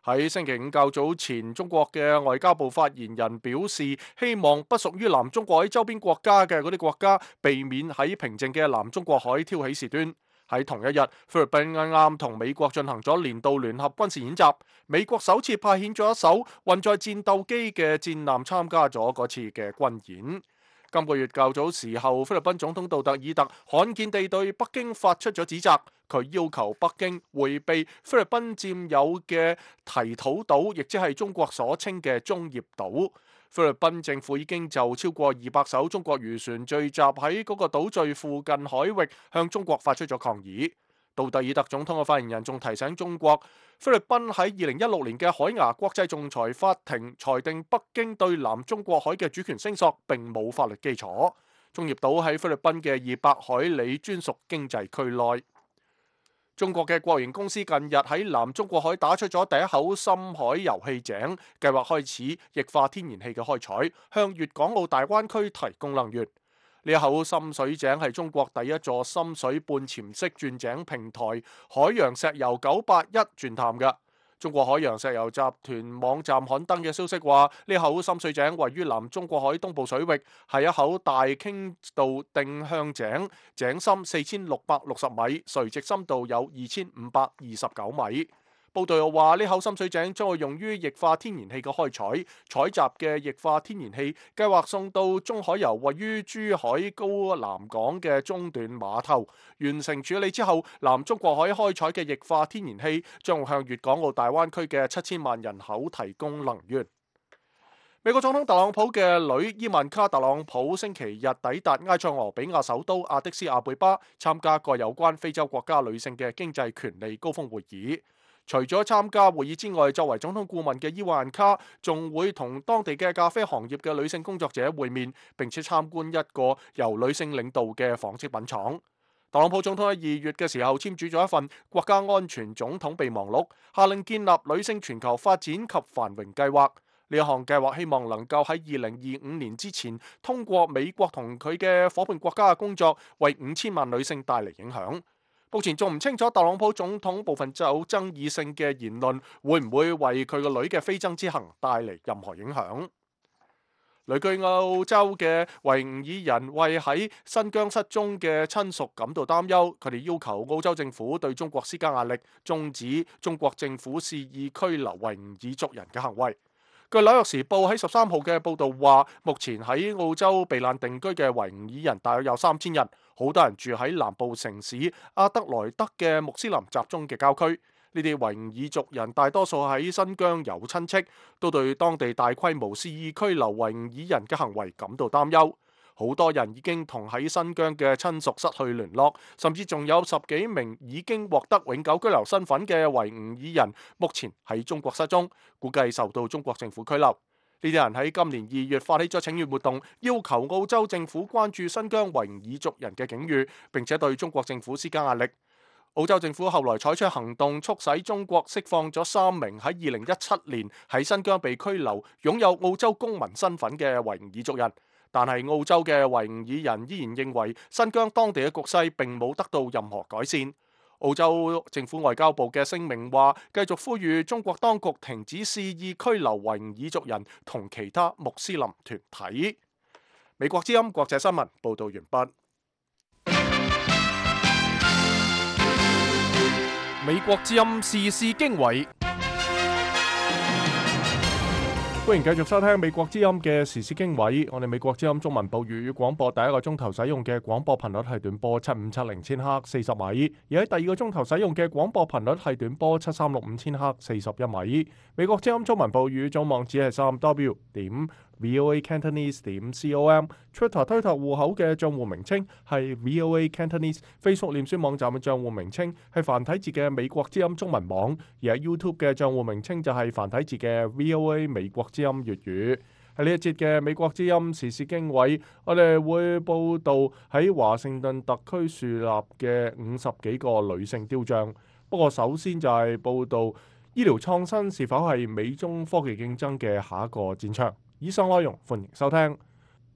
喺星期五較早前，中國嘅外交部發言人表示，希望不屬於南中國海周邊國家嘅嗰啲國家避免喺平靜嘅南中國海挑起事端。喺同一日，菲律賓啱啱同美國進行咗年度聯合軍事演習，美國首次派遣咗一艘運載戰鬥機嘅戰艦參加咗嗰次嘅軍演。今個月較早時候，菲律賓總統杜特爾特罕見地對北京發出咗指責，佢要求北京迴避菲律賓佔有嘅提土島，亦即係中國所稱嘅中業島。菲律賓政府已經就超過200艘中國漁船聚集喺嗰個島嶼附近海域向中國發出咗抗議。杜特爾特總統嘅發言人仲提醒中國，菲律賓喺2016年嘅海牙國際仲裁法庭裁定北京對南中國海嘅主權聲索並冇法律基礎。中業島喺菲律賓嘅200海里專屬經濟區內。中國嘅國營公司近日喺南中國海打出咗第一口深海油氣井，計劃開始液化天然氣嘅開採，向粵港澳大灣區提供能源。呢一口深水井係中國第一座深水半潛式鑽井平台海洋石油981鑽探嘅。中國海洋石油集團網站刊登嘅消息話，呢口深水井位於南中國海東部水域，係一口大傾倒定向井，井深4660米，垂直深度有2529米。報道又話，呢口深水井將會用於液化天然氣嘅開採，採集嘅液化天然氣計劃送到中海油位於珠海高南港嘅中段碼頭，完成處理之後，南中國海開採嘅液化天然氣將會向粵港澳大灣區嘅7000萬人口提供能源。美國總統特朗普嘅女伊萬卡特朗普星期日抵達埃塞俄比亞首都亞的斯亞貝巴，參加個有關非洲國家女性嘅經濟權利高峰會議。除咗參加會議之外，作為總統顧問嘅伊萬卡仲會同當地嘅咖啡行業嘅女性工作者會面，並且參觀一個由女性領導嘅紡織品廠。特朗普總統喺2月嘅時候簽署咗一份國家安全總統備忘錄，下令建立女性全球發展及繁榮計劃。呢一項計劃希望能夠喺2025年之前通過美國同佢嘅夥伴國家嘅工作，為5000萬女性帶嚟影響。目前仲唔清楚特朗普總統部分有爭議性嘅言論會唔會為佢個女嘅非洲之行帶嚟任何影響。旅居澳洲嘅維吾爾人為喺新疆失蹤嘅親屬感到擔憂，佢哋要求澳洲政府對中國施加壓力，終止中國政府肆意拘留維吾爾族人嘅行為。據紐約時報喺13號嘅報導話，目前喺澳洲避難定居嘅維吾爾人大約有3000人，好多人住喺南部城市阿德萊德嘅穆斯林集中嘅郊區。呢啲維吾爾族人大多數喺新疆有親戚，都對當地大規模肆意拘留維吾爾人嘅行為感到擔憂。好多人已經同喺新疆嘅親屬失去聯絡，甚至仲有10幾名已經獲得永久居留身份嘅維吾爾人，目前喺中國失蹤，估計受到中國政府拘留。呢啲人喺今年2月發起咗請願活動，要求澳洲政府關注新疆維吾爾族人嘅境遇，並且對中國政府施加壓力。澳洲政府後來採取行動，促使中國釋放咗3名喺2017年喺新疆被拘留、擁有澳洲公民身份嘅維吾爾族人。但係澳洲嘅維吾爾人依然認為新疆當地嘅局勢並冇得到任何改善。澳洲政府外交部嘅聲明話，繼續呼籲中國當局停止肆意拘留維吾爾族人同其他穆斯林團體。美國之音國際新聞報道完畢。美國之音時事經緯，歡迎繼續收聽美國之音嘅時事經緯。我哋美國之音中文部粵語廣播第一個鐘頭使用嘅廣播頻率係短波7570千赫40米，而喺第二個鐘頭使用嘅廣播頻率係短波7365千赫41米。美國之音中文部粵語總網址係3w.voacantonese.com，Twitter 推特戶口嘅賬戶名稱係 VOA Cantonese，Facebook 臉書網站嘅賬戶名稱係繁體字嘅美國之音中文網，而喺 YouTube 嘅賬戶名稱就係繁體字嘅 VOA 美國之音粵語。喺呢一節嘅美國之音時事經緯，我哋會報道喺華盛頓特區樹立嘅50幾個女性雕像。不過首先就係報道醫療創新是否係美中科技競爭嘅下一個戰場。以上內容歡迎收聽。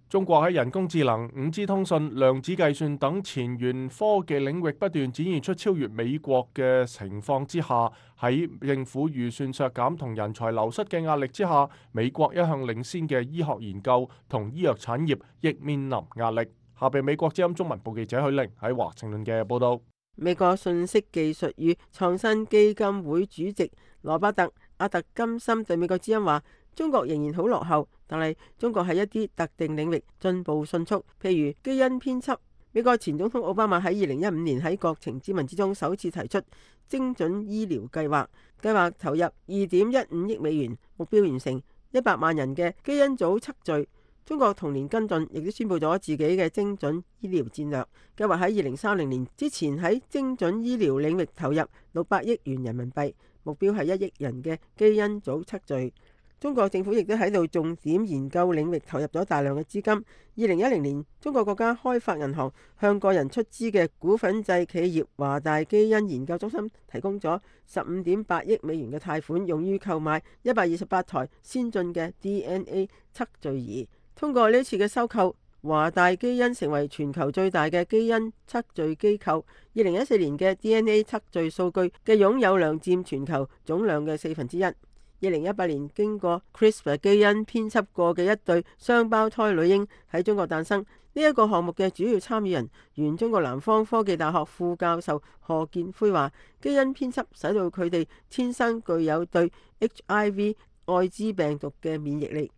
中國喺人工智能、5G 通訊、量子計算等前沿科技領域不斷展現出超越美國嘅情況之下，喺政府預算削減同人才流失嘅壓力之下，美國一向領先嘅醫學研究同醫藥產業亦面臨壓力。下邊美國之音中文部記者許玲喺華盛頓嘅報道。美國信息技術與創新基金會主席羅伯特·阿特金森對美國之音話：中國仍然好落後，但係中國喺一啲特定領域進步迅速，譬如基因編輯。美國前總統奧巴馬喺2015年喺國情咨文之中首次提出精準醫療計劃，計劃投入2.15億美元，目標完成100萬人嘅基因組測序。中國同年跟進，亦都宣布咗自己嘅精準醫療戰略，計劃喺2030年之前喺精準醫療領域投入600億元人民幣，目標係1億人嘅基因組測序。中國政府亦都喺度重點研究領域投入咗大量嘅資金。2010年，中國國家開發銀行向個人出資嘅股份制企業華大基因研究中心提供咗15.8億美元嘅貸款，用於購買128台先進嘅 DNA 測序儀。通過呢次嘅收購，華大基因成為全球最大嘅基因測序機構。2014年嘅 DNA 測序數據嘅擁有量佔全球總量嘅1/4。2018年經過 CRISPR 基因編輯過嘅一對雙胞胎女嬰喺中國誕生。呢一個項目嘅主要參與人，原中國南方科技大學副教授賀建輝話：基因編輯使到佢哋天生具有對 HIV 愛滋病毒嘅免疫力。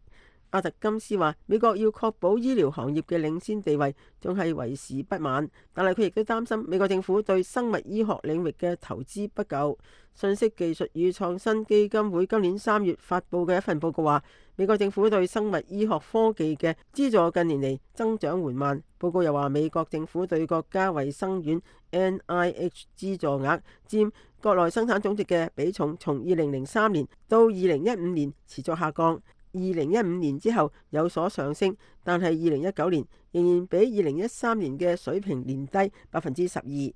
阿特金斯話：美國要確保醫療行業嘅領先地位，仲係為時不晚。但係佢亦都擔心美國政府對生物醫學領域嘅投資不夠。信息技術與創新基金會今年3月發布嘅一份報告話，美國政府對生物醫學科技嘅資助近年嚟增長緩慢。報告又話，美國政府對國家衛生院 NIH 資助額佔國內生產總值嘅比重，從2003年到2015年持續下降。2015年之後有所上升，但係2019年仍然比2013年嘅水平年低12%。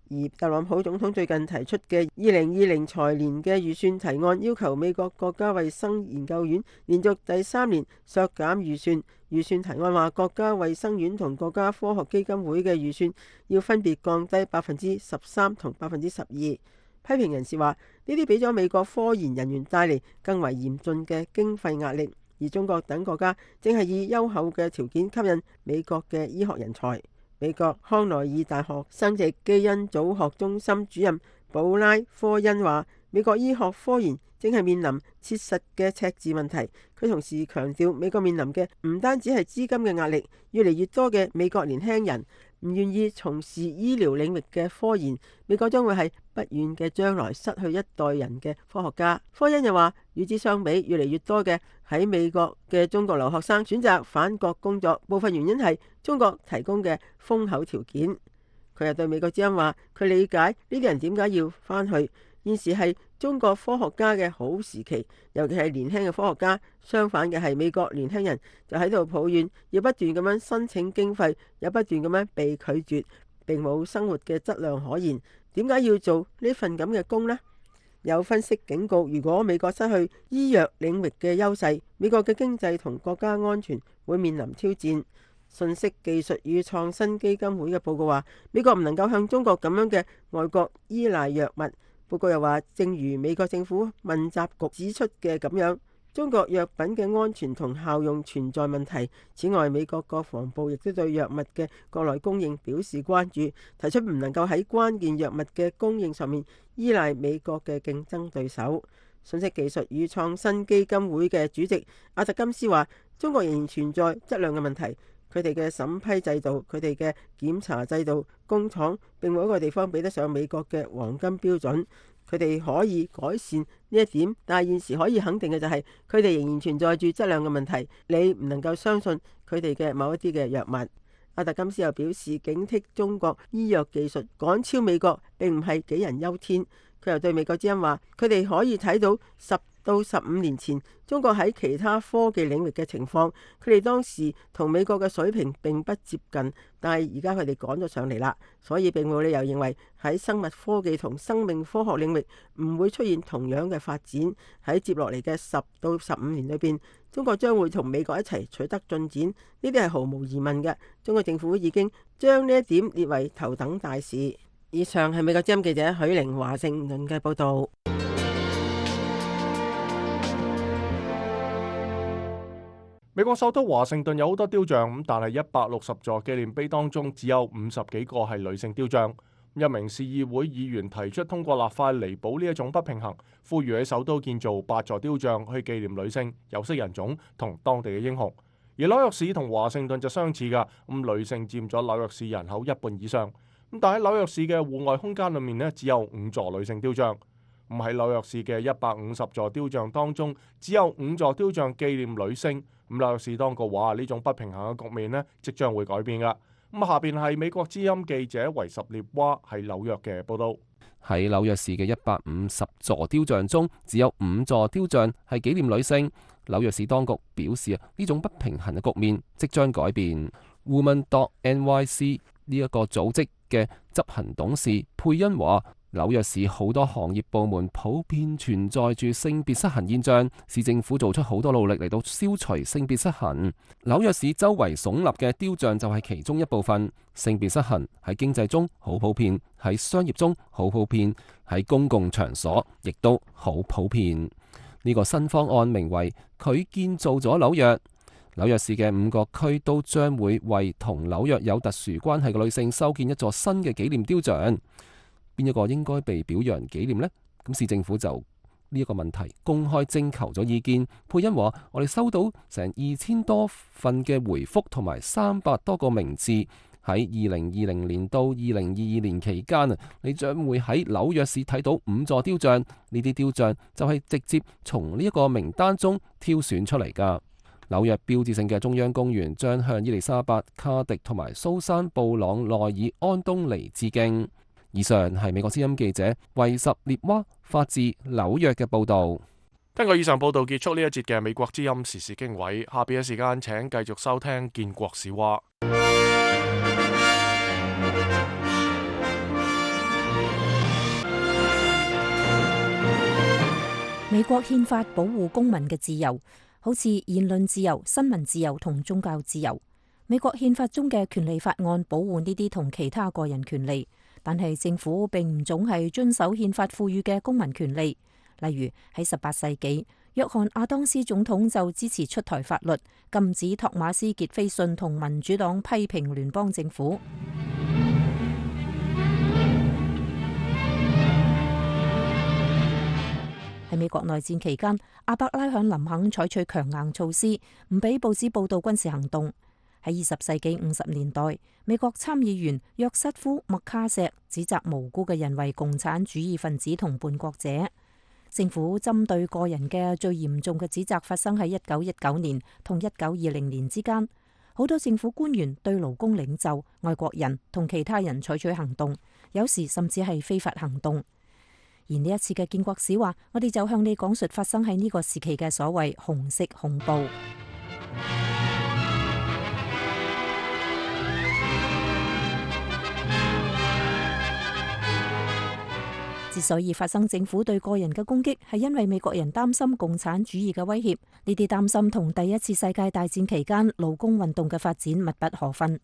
而特朗普總統最近提出嘅2020財年嘅預算提案，要求美國國家衛生研究院連續第3年削減預算。預算提案話，國家衛生院同國家科學基金會嘅預算要分別降低13%同12%。批評人士話，呢啲俾咗美國科研人員帶嚟更為嚴峻嘅經費壓力，而中國等國家正係以優厚嘅條件吸引美國嘅醫學人才。美國康奈爾大學生殖基因組學中心主任保拉科恩話，美國醫學科研正係面臨切實嘅赤字問題。佢同時強調，美國面臨嘅唔單止係資金嘅壓力，越嚟越多嘅美國年輕人唔願意從事醫療領域嘅科研，美國將會喺不遠嘅將來失去一代人嘅科學家。科恩又話，與之相比，越嚟越多嘅喺美國嘅中國留學生選擇返國工作，部分原因係中國提供嘅豐厚條件。佢又對美國之音話，佢理解呢啲人點解要返去。現時係中國科學家嘅好時期，尤其係年輕嘅科學家。相反嘅係美國年輕人就喺度抱怨，要不斷咁樣申請經費，又不斷咁樣被拒絕。並冇生活嘅質量可言，點解要做呢份咁嘅工呢？有分析警告，如果美國失去醫藥領域嘅優勢，美國嘅經濟同國家安全會面臨挑戰。信息技術與創新基金會嘅報告話，美國唔能夠向中國咁樣嘅外國依賴藥物。報告又話，正如美國政府問責局指出嘅咁樣，中國藥品嘅安全同效用存在問題。此外，美國國防部亦都對藥物嘅國內供應表示關注，提出唔能夠喺關鍵藥物嘅供應上面依賴美國嘅競爭對手。信息技術與創新基金會嘅主席阿特金斯話，中國仍然存在質量嘅問題。佢哋嘅審批制度、佢哋嘅檢查制度、工廠並冇一個地方比得上美國嘅黃金標準。佢哋可以改善呢一點，但係現時可以肯定嘅就係佢哋仍然存在住質量嘅問題。你唔能夠相信佢哋嘅某一啲嘅藥物。阿特金斯又表示，警惕中國醫藥技術趕超美國並唔係杞人憂天。佢又對美國之音話，佢哋可以睇到10到15年前中國喺其他科技領域嘅情況，佢哋當時同美國嘅水平並不接近，但係而家佢哋趕咗上嚟啦，所以並冇理由認為喺生物科技同生命科學領域唔會出現同樣嘅發展。喺接落嚟嘅10到15年裏邊，中國將會同美國一齊取得進展，呢啲係毫無疑問嘅。中國政府已經將呢一點列為頭等大事。以上係美國之音記者許玲華盛頓嘅報道。美國首都華盛頓有好多雕像，但係160座紀念碑當中只有50幾個係女性雕像。一名市議會議員提出通過立法彌補呢一種不平衡，呼籲喺首都建造8座雕像去紀念女性、有色人種同當地嘅英雄。而紐約市同華盛頓就相似㗎，女性佔咗紐約市人口1半以上。但喺紐約市嘅戶外空間裏面呢，只有5座女性雕像。喺紐約市嘅150座雕像當中，只有5座雕像紀念女性。紐約市當局話呢種不平衡嘅局面呢，即將會改變㗎。下邊係美國之音記者維什列娃喺紐約嘅報道。喺紐約市嘅150座雕像中，只有5座雕像係紀念女性。紐約市當局表示呢種不平衡嘅局面即將改變。Women.NYC 呢一個組織嘅執行董事佩恩話，紐約市好多行業部門普遍存在住性別失衡現象，市政府做出好多努力嚟到消除性別失衡。紐約市周圍聳立嘅雕像就係其中一部分。性別失衡喺經濟中好普遍，喺商業中好普遍，喺公共場所亦都好普遍。呢個新方案名為佢建造咗紐約。紐約市嘅5個區都將會為同紐約有特殊關係嘅女性修建一座新嘅紀念雕像。邊一個應該被表揚紀念呢？咁市政府就呢一個問題公開徵求咗意見。佩恩話：我哋收到成2000多份嘅回覆同埋300多個名字。喺2020年到2022年期間你將會喺紐約市睇到5座雕像。呢啲雕像就係直接從呢一個名單中挑選出嚟㗎。紐約標誌性嘅中央公園將向伊麗莎白、卡迪同埋蘇珊布朗內爾安東尼致敬。以上係美國之音記者維什列娃發自紐約嘅報導。聽過以上報導，結束呢一節嘅美國之音時事經緯。下邊嘅時間請繼續收聽建國史話。美國憲法保護公民嘅自由，好似言論自由、新聞自由同宗教自由。美國憲法中嘅權利法案保護呢啲同其他個人權利，但係政府並唔總係遵守憲法賦予嘅公民權利。例如喺18世紀，約翰亞當斯總統就支持出台法律，禁止托馬斯傑斐遜同民主黨批評聯邦政府。喺美國內戰期間，阿伯拉罕林肯採取強硬措施，唔俾報紙報道軍事行動。喺20世紀50年代，美國參議員約瑟夫麥卡錫指責無辜嘅人為共產主義分子同叛國者。政府針對個人嘅最嚴重嘅指責發生喺1919年同1920年之間。好多政府官員對勞工領袖、外國人同其他人採取行動，有時甚至係非法行動。而呢一次嘅建國史話，我哋就向你講述發生喺呢個時期嘅所謂紅色恐怖。之所以發生政府對個人嘅攻擊，係因為美國人擔心共產主義嘅威脅。呢啲擔心同第一次世界大戰期間勞工運動嘅發展密不可分。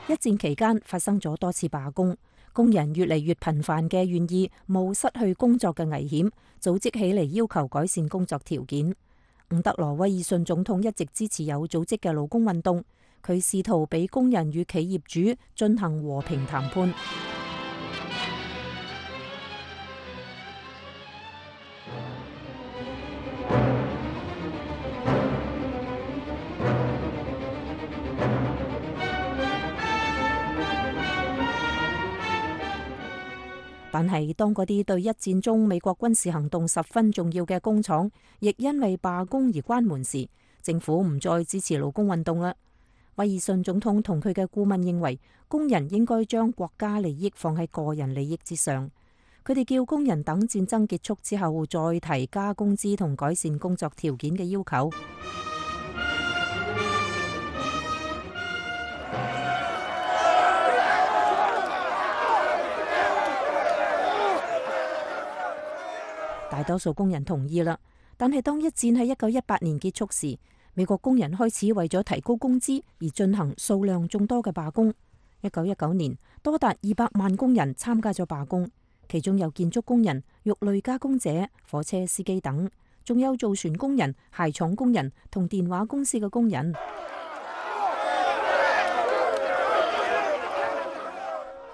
一戰期間發生咗多次罷工，工人越嚟越頻繁嘅願意冒失去工作嘅危險，組織起嚟要求改善工作條件。伍德羅威爾遜總統一直支持有組織嘅勞工運動，佢試圖俾工人與企業主進行和平談判。但係當嗰啲對一戰中美國軍事行動十分重要嘅工廠，亦因為罷工而關門時，政府唔再支持勞工運動啦。威爾遜總統同佢嘅顧問認為，工人應該將國家利益放喺個人利益之上。佢哋叫工人等戰爭結束之後再提加工資同改善工作條件嘅要求。大多數工人同意啦，但係當一戰喺1918年結束時，美國工人開始為咗提高工資而進行數量眾多嘅罷工。1919年，多達200萬工人參加咗罷工，其中有建築工人、肉類加工者、火車司機等，仲有造船工人、鞋廠工人同電話公司嘅工人。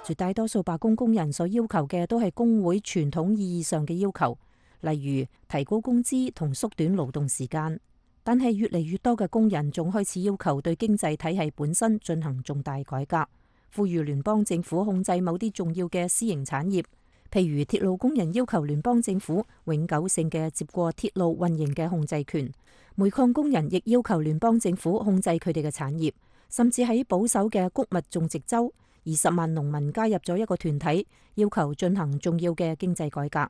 絕大多數罷工工人所要求嘅都係工會傳統意義上嘅要求，例如提高工資同縮短勞動時間。但係越嚟越多嘅工人仲開始要求對經濟體系本身進行重大改革，呼籲聯邦政府控制某啲重要嘅私營產業，譬如鐵路工人要求聯邦政府永久性嘅接過鐵路運營嘅控制權，煤礦工人亦要求聯邦政府控制佢哋嘅產業，甚至喺保守嘅穀物種植州，20萬農民加入咗一個團體，要求進行重要嘅經濟改革。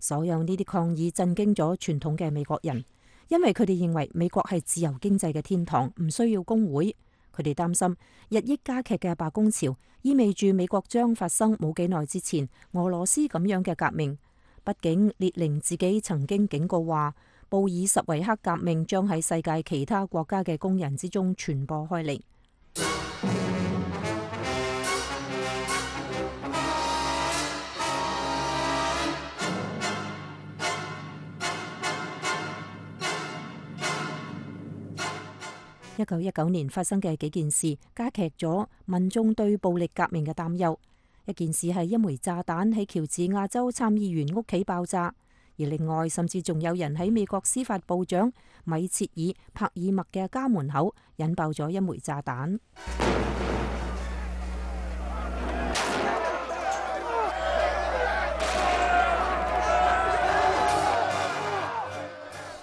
所有呢啲抗議震驚咗傳統嘅美國人，因為佢哋認為美國係自由經濟嘅天堂，唔需要工會。佢哋擔心日益加劇嘅罷工潮意味住美國將發生冇幾耐之前俄羅斯咁樣嘅革命。畢竟列寧自己曾經警告話，布爾什維克革命將喺世界其他國家嘅工人之中傳播開嚟。1919年發生嘅幾件事加劇咗民眾對暴力革命嘅擔憂。一件事係一枚炸彈喺喬治亞州參議員屋企爆炸，而另外甚至仲有人喺美國司法部長米切爾·帕爾默嘅家門口引爆咗一枚炸彈。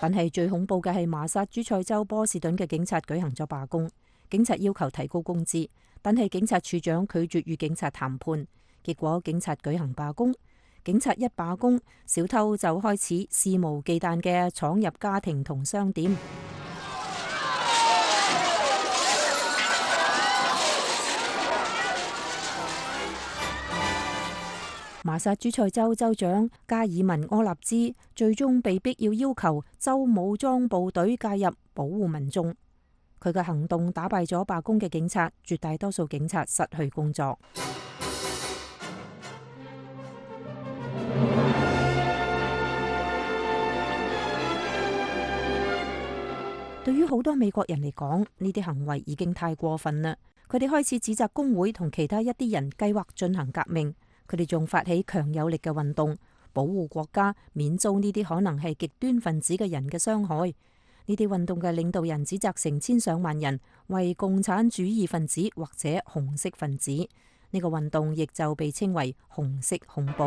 但係最恐怖嘅係麻薩諸塞州波士頓嘅警察舉行咗罷工，警察要求提高工資，但係警察處長拒絕與警察談判，結果警察舉行罷工。警察一罷工，小偷就開始肆無忌憚嘅闖入家庭同商店。麻薩諸塞州州長加爾文柯納茲最終被逼要求州武裝部隊介入保護民眾。佢嘅行動打敗咗罷工嘅警察，絕大多數警察失去工作。對於好多美國人嚟講，呢啲行為已經太過分啦。佢哋開始指責工會同其他一啲人計劃進行革命。佢哋仲發起強有力嘅運動，保護國家免遭呢啲可能係極端分子嘅人嘅傷害。呢啲運動嘅領導人指責成千上萬人為共產主義分子或者紅色分子。呢個運動亦就被稱為紅色恐怖。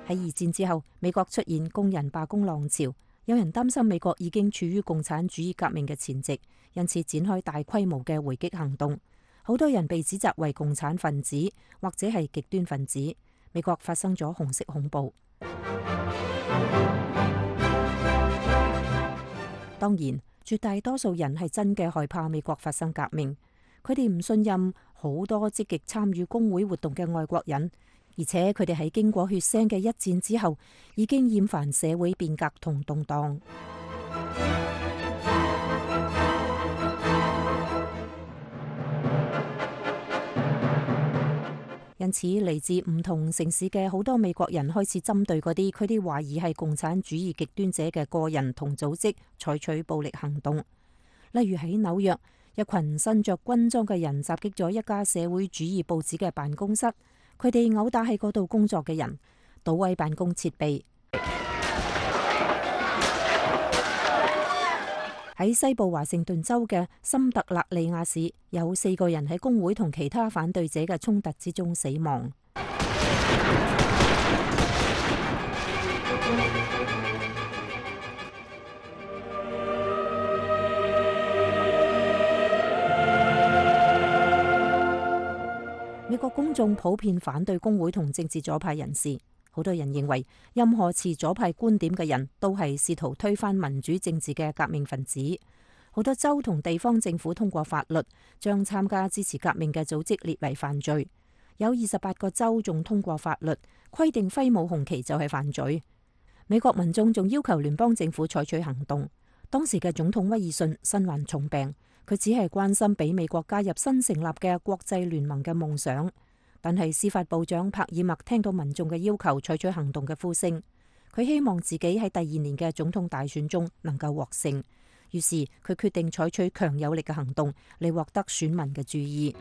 喺二戰之後，美國出現工人罷工浪潮。有人擔心美國已經處於共產主義革命嘅前夕，因此展開大規模嘅回擊行動。好多人被指責為共產分子或者係極端分子。美國發生咗紅色恐怖。當然，絕大多數人係真嘅害怕美國發生革命，佢哋唔信任好多積極參與工會活動嘅外國人，而且佢哋喺經過血腥嘅一戰之後，已經厭煩社會變革同動盪。因此，嚟自唔同城市嘅好多美國人開始針對嗰啲佢哋懷疑係共產主義極端者嘅個人同組織採取暴力行動。例如喺紐約，一群身着軍裝嘅人襲擊咗一家社會主義報紙嘅辦公室，佢哋毆打喺嗰度工作嘅人，搗毀辦公設備。喺西部華盛頓州嘅森特勒利亞市，有4個人喺工會同其他反對者嘅衝突之中死亡。美國公眾普遍反對工會同政治左派人士。好多人認為，任何持左派觀點嘅人都係試圖推翻民主政治嘅革命分子。好多州同地方政府通過法律，將參加支持革命嘅組織列為犯罪。有28個州仲通過法律，規定揮舞紅旗就係犯罪。美國民眾仲要求聯邦政府採取行動。當時嘅總統威爾遜身患重病，佢只係關心俾美國加入新成立嘅國際聯盟嘅夢想。但係司法部長帕爾默聽到民眾嘅要求採取行動嘅呼聲，佢希望自己喺第2年嘅總統大選中能夠獲勝，於是佢決定採取強有力嘅行動嚟獲得選民嘅注意。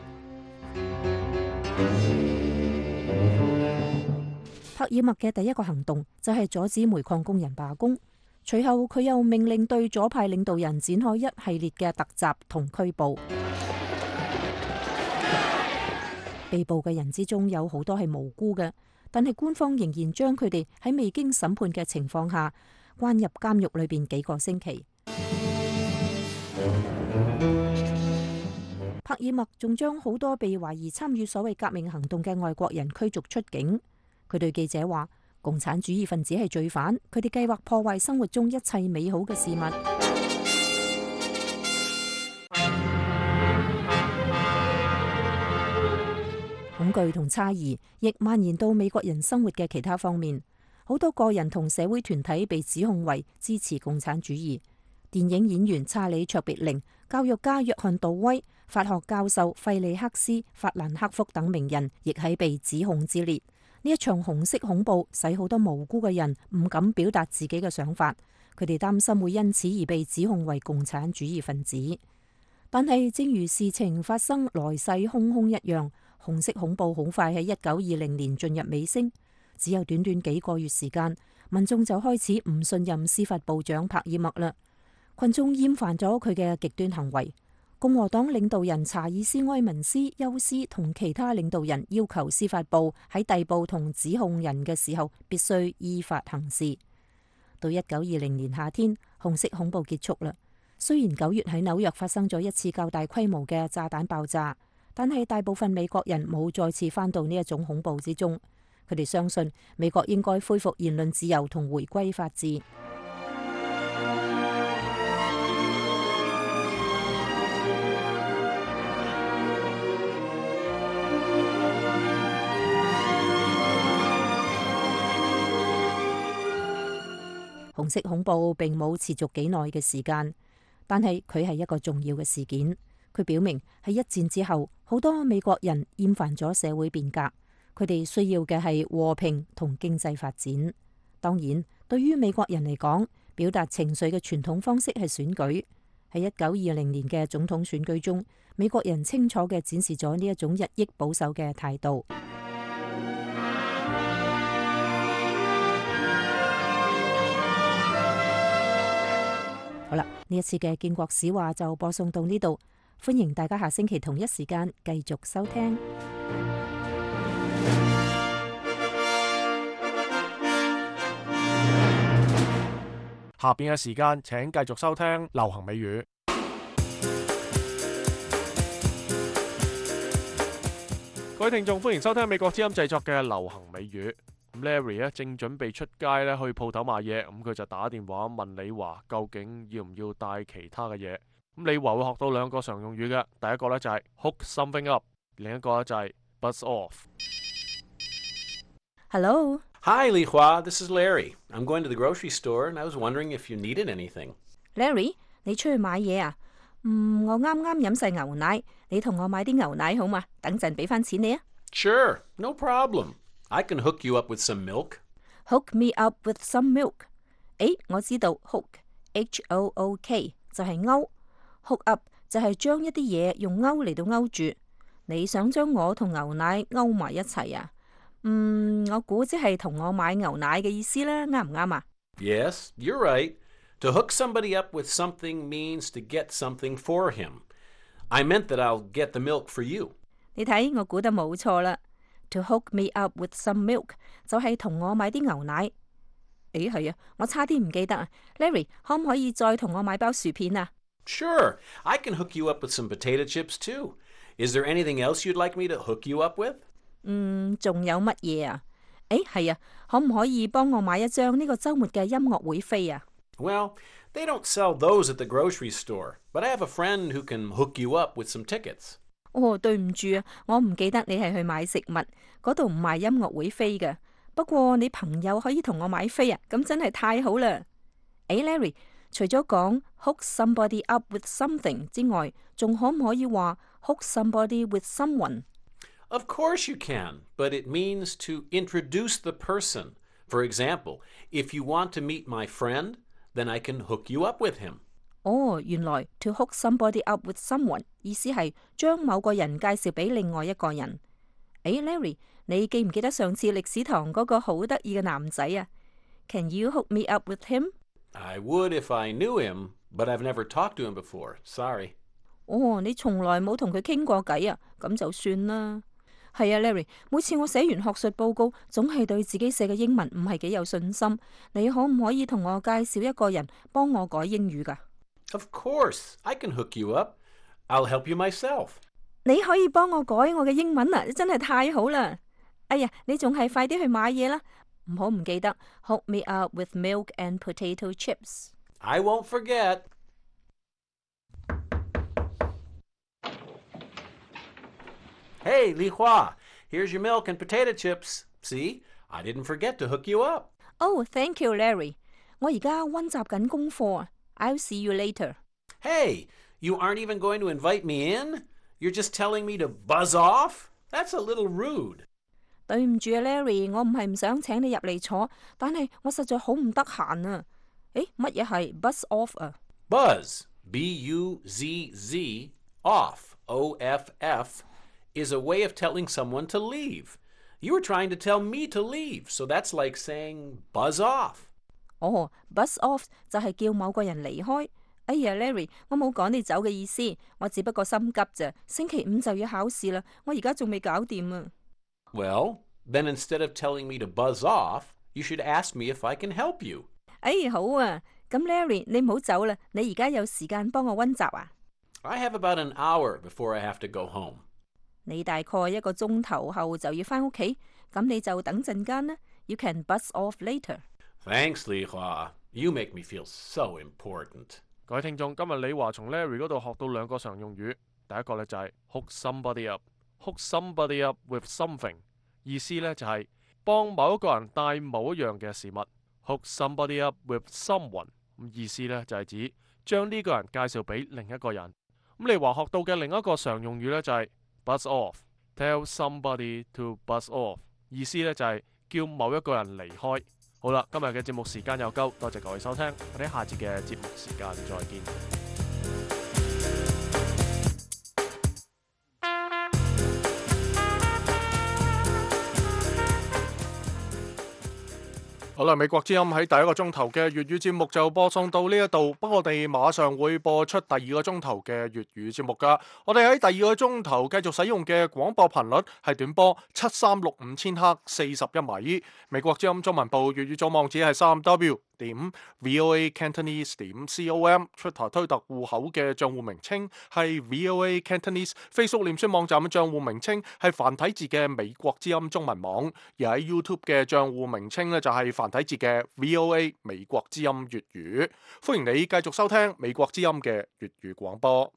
帕爾默嘅第一個行動就係阻止煤礦工人罷工，隨後佢又命令對左派領導人展開一系列嘅突襲同拘捕。被捕嘅人之中有好多係無辜嘅，但係官方仍然將佢哋喺未經審判嘅情況下關入監獄裏邊幾個星期。帕爾默仲將好多被懷疑參與所謂革命行動嘅外國人驅逐出境。佢對記者話：共產主義分子係罪犯，佢哋計劃破壞生活中一切美好嘅事物。恐懼同猜疑亦蔓延到美國人生活嘅其他方面，好多個人同社會團體被指控為支持共產主義。電影演員查理卓別靈、教育家約翰杜威、法學教授費利克斯、法蘭克福等名人亦喺被指控之列。呢一場紅色恐怖使好多無辜嘅人唔敢表達自己嘅想法，佢哋擔心會因此而被指控為共產主義分子。但係正如事情發生來勢洶洶一樣，紅色恐怖好快喺1920年進入尾聲，只有短短幾個月時間，民眾就開始唔信任司法部長帕爾默啦。群眾厭煩咗佢嘅極端行為。共和黨領導人查爾斯埃文斯休斯同其他領導人要求司法部喺逮捕同指控人嘅時候必須依法行事。到1920年夏天，紅色恐怖結束啦。雖然9月喺紐約發生咗一次較大規模嘅炸彈爆炸，但係大部分美國人冇再次返到呢一種恐怖之中。佢哋相信美國應該恢復言論自由同回歸法治。紅色恐怖並冇持續幾耐嘅時間，但係佢係一個重要嘅事件。佢表明喺一戰之後，好多美國人厭煩咗社會變革，佢哋需要嘅係和平同經濟發展。當然，對於美國人嚟講，表達情緒嘅傳統方式係選舉。喺1920年嘅總統選舉中，美國人清楚嘅展示咗呢一種日益保守嘅態度。好啦，呢一次嘅建國史話就播送到呢度，歡迎大家下星期同一時間繼續收聽。下邊嘅時間請繼續收聽流行美語。各位聽眾，歡迎收聽美國之音製作嘅流行美語。Larry 咧正準備出街咧去鋪頭買嘢，咁佢就打電話問李華究竟要唔要帶其他嘅嘢。咁李華會學到兩個常用語嘅，第一個咧就係 hook something up， 另一個咧就係 buzz off。Hello. Hi, Li Hua. This is Larry. I'm going to the grocery store, and I was wondering if you needed anything. Larry， 你出去買嘢啊？我啱啱飲晒牛奶，你同我買啲牛奶好嘛？等陣俾翻錢你啊。Sure, no problem. I can hook you up with some milk. Hook me up with some milk。我知道 hook H-O-O-K 就係勾 ，hook up 就係將一啲嘢用勾嚟到勾住。你想將我同牛奶勾埋一齊啊？我估即係同我買牛奶嘅意思啦，啱唔啱啊？ Yes, you're right. To hook somebody up with something means to get something for him. I meant that I'll get the milk for you. 你睇，我估得冇錯啦。To hook me up with some milk 就係同我買啲牛奶。係啊，我差啲唔記得啊。Larry， 可唔可以再同我買包薯片啊？ Sure, I can hook you up with some potato chips too. Is there anything else you'd like me to hook you up with? 仲有乜嘢啊？係啊，可唔可以幫我買一張呢個週末嘅音樂會飛啊？ Well, they don't sell those at the grocery store, but I have a friend who can hook you up with some tickets. 對唔住啊，我唔記得你係去買食物，嗰度唔賣音樂會飛嘅。不過你朋友可以同我買飛啊，咁真係太好啦。Larry， 除咗講 hook somebody up with something 之外，仲可唔可以話 hook somebody with someone？ Of course you can, but it means to introduce the person. For example, if you want to meet my friend, then I can hook you up with him. 原來 to hook somebody up with someone 意思係將某個人介紹俾另外一個人。Larry， 你記唔記得上次歷史堂嗰個好得意嘅男仔啊？ Can you hook me up with him? I would if I knew him, but I've never talked to him before. Sorry. 你從來冇同佢傾過偈啊？咁就算啦。係啊 ，Larry， 每次我寫完學術報告，總係對自己寫嘅英文唔係幾有信心。你可唔可以同我介紹一個人幫我改英語㗎？ Of course, I can hook you up. I'll help you myself. 你可以幫我改我嘅英文啊，真係太好啦！你仲係快啲去買嘢啦，唔好唔記得 hook me up with milk and potato chips. I won't forget. Hey, Li Hua, here's your milk and potato chips. See, I didn't forget to hook you up. Oh, thank you, Larry. 我而家溫習緊功課啊。I'll see you later. Hey, you aren't even going to invite me in? You're just telling me to buzz off? That's a little rude. 對唔住啊 ，Larry， 我唔係唔想請你入嚟坐，但係我實在好唔得閒啊。乜嘢係 buzz off 啊？ Buzz, B-U-Z-Z, off, O-F-F, is a way of telling someone to leave. You were trying to tell me to leave, so that's like saying buzz off. buzz off 就係叫某個人離開。Larry， 我冇趕你走嘅意思，我只不過心急咋。星期五就要考試啦，我而家仲未搞掂啊。Well, then instead of telling me to buzz off, you should ask me if I can help you. 好啊，咁 Larry， 你唔好走啦，你而家有時間幫我溫習啊？ I have about an hour before I have to go home. 你大概一個鐘頭後就要返屋企，咁你就等陣間啦。You can buzz off later. Thanks, Li Hua. You make me feel so important. 各位聽眾，今日李華從 Larry 嗰度學到兩個常用語，第一個呢就係 hook somebody up。hook somebody up with something， 意思呢就係幫某一個人帶某一樣嘅事物。hook somebody up with someone， 意思呢就係指將呢個人介紹俾另一個人。李華學到嘅另一個常用語呢就係 buzz off。tell somebody to buzz off， 意思呢就係叫某一個人離開。好啦，今日嘅節目時間又夠，多謝各位收聽，我哋下節嘅節目時間再見。好啦，美國之音喺第一個鐘頭嘅粵語節目就播送到呢一度，不過我哋馬上會播出第二個鐘頭嘅粵語節目噶。我哋喺第二個鐘頭繼續使用嘅廣播頻率係短波7365千赫41米。美國之音中文部粵語組網址係3w.voacantonese.com， 出台推特戶口嘅賬戶名稱係 VOA Cantonese， Facebook 臉書網站嘅賬戶名稱係繁體字嘅美國之音中文網，而喺 YouTube 嘅賬戶名稱呢，就係繁體字嘅 VOA 美國之音粵語。歡迎你繼續收聽美國之音嘅粵語廣播。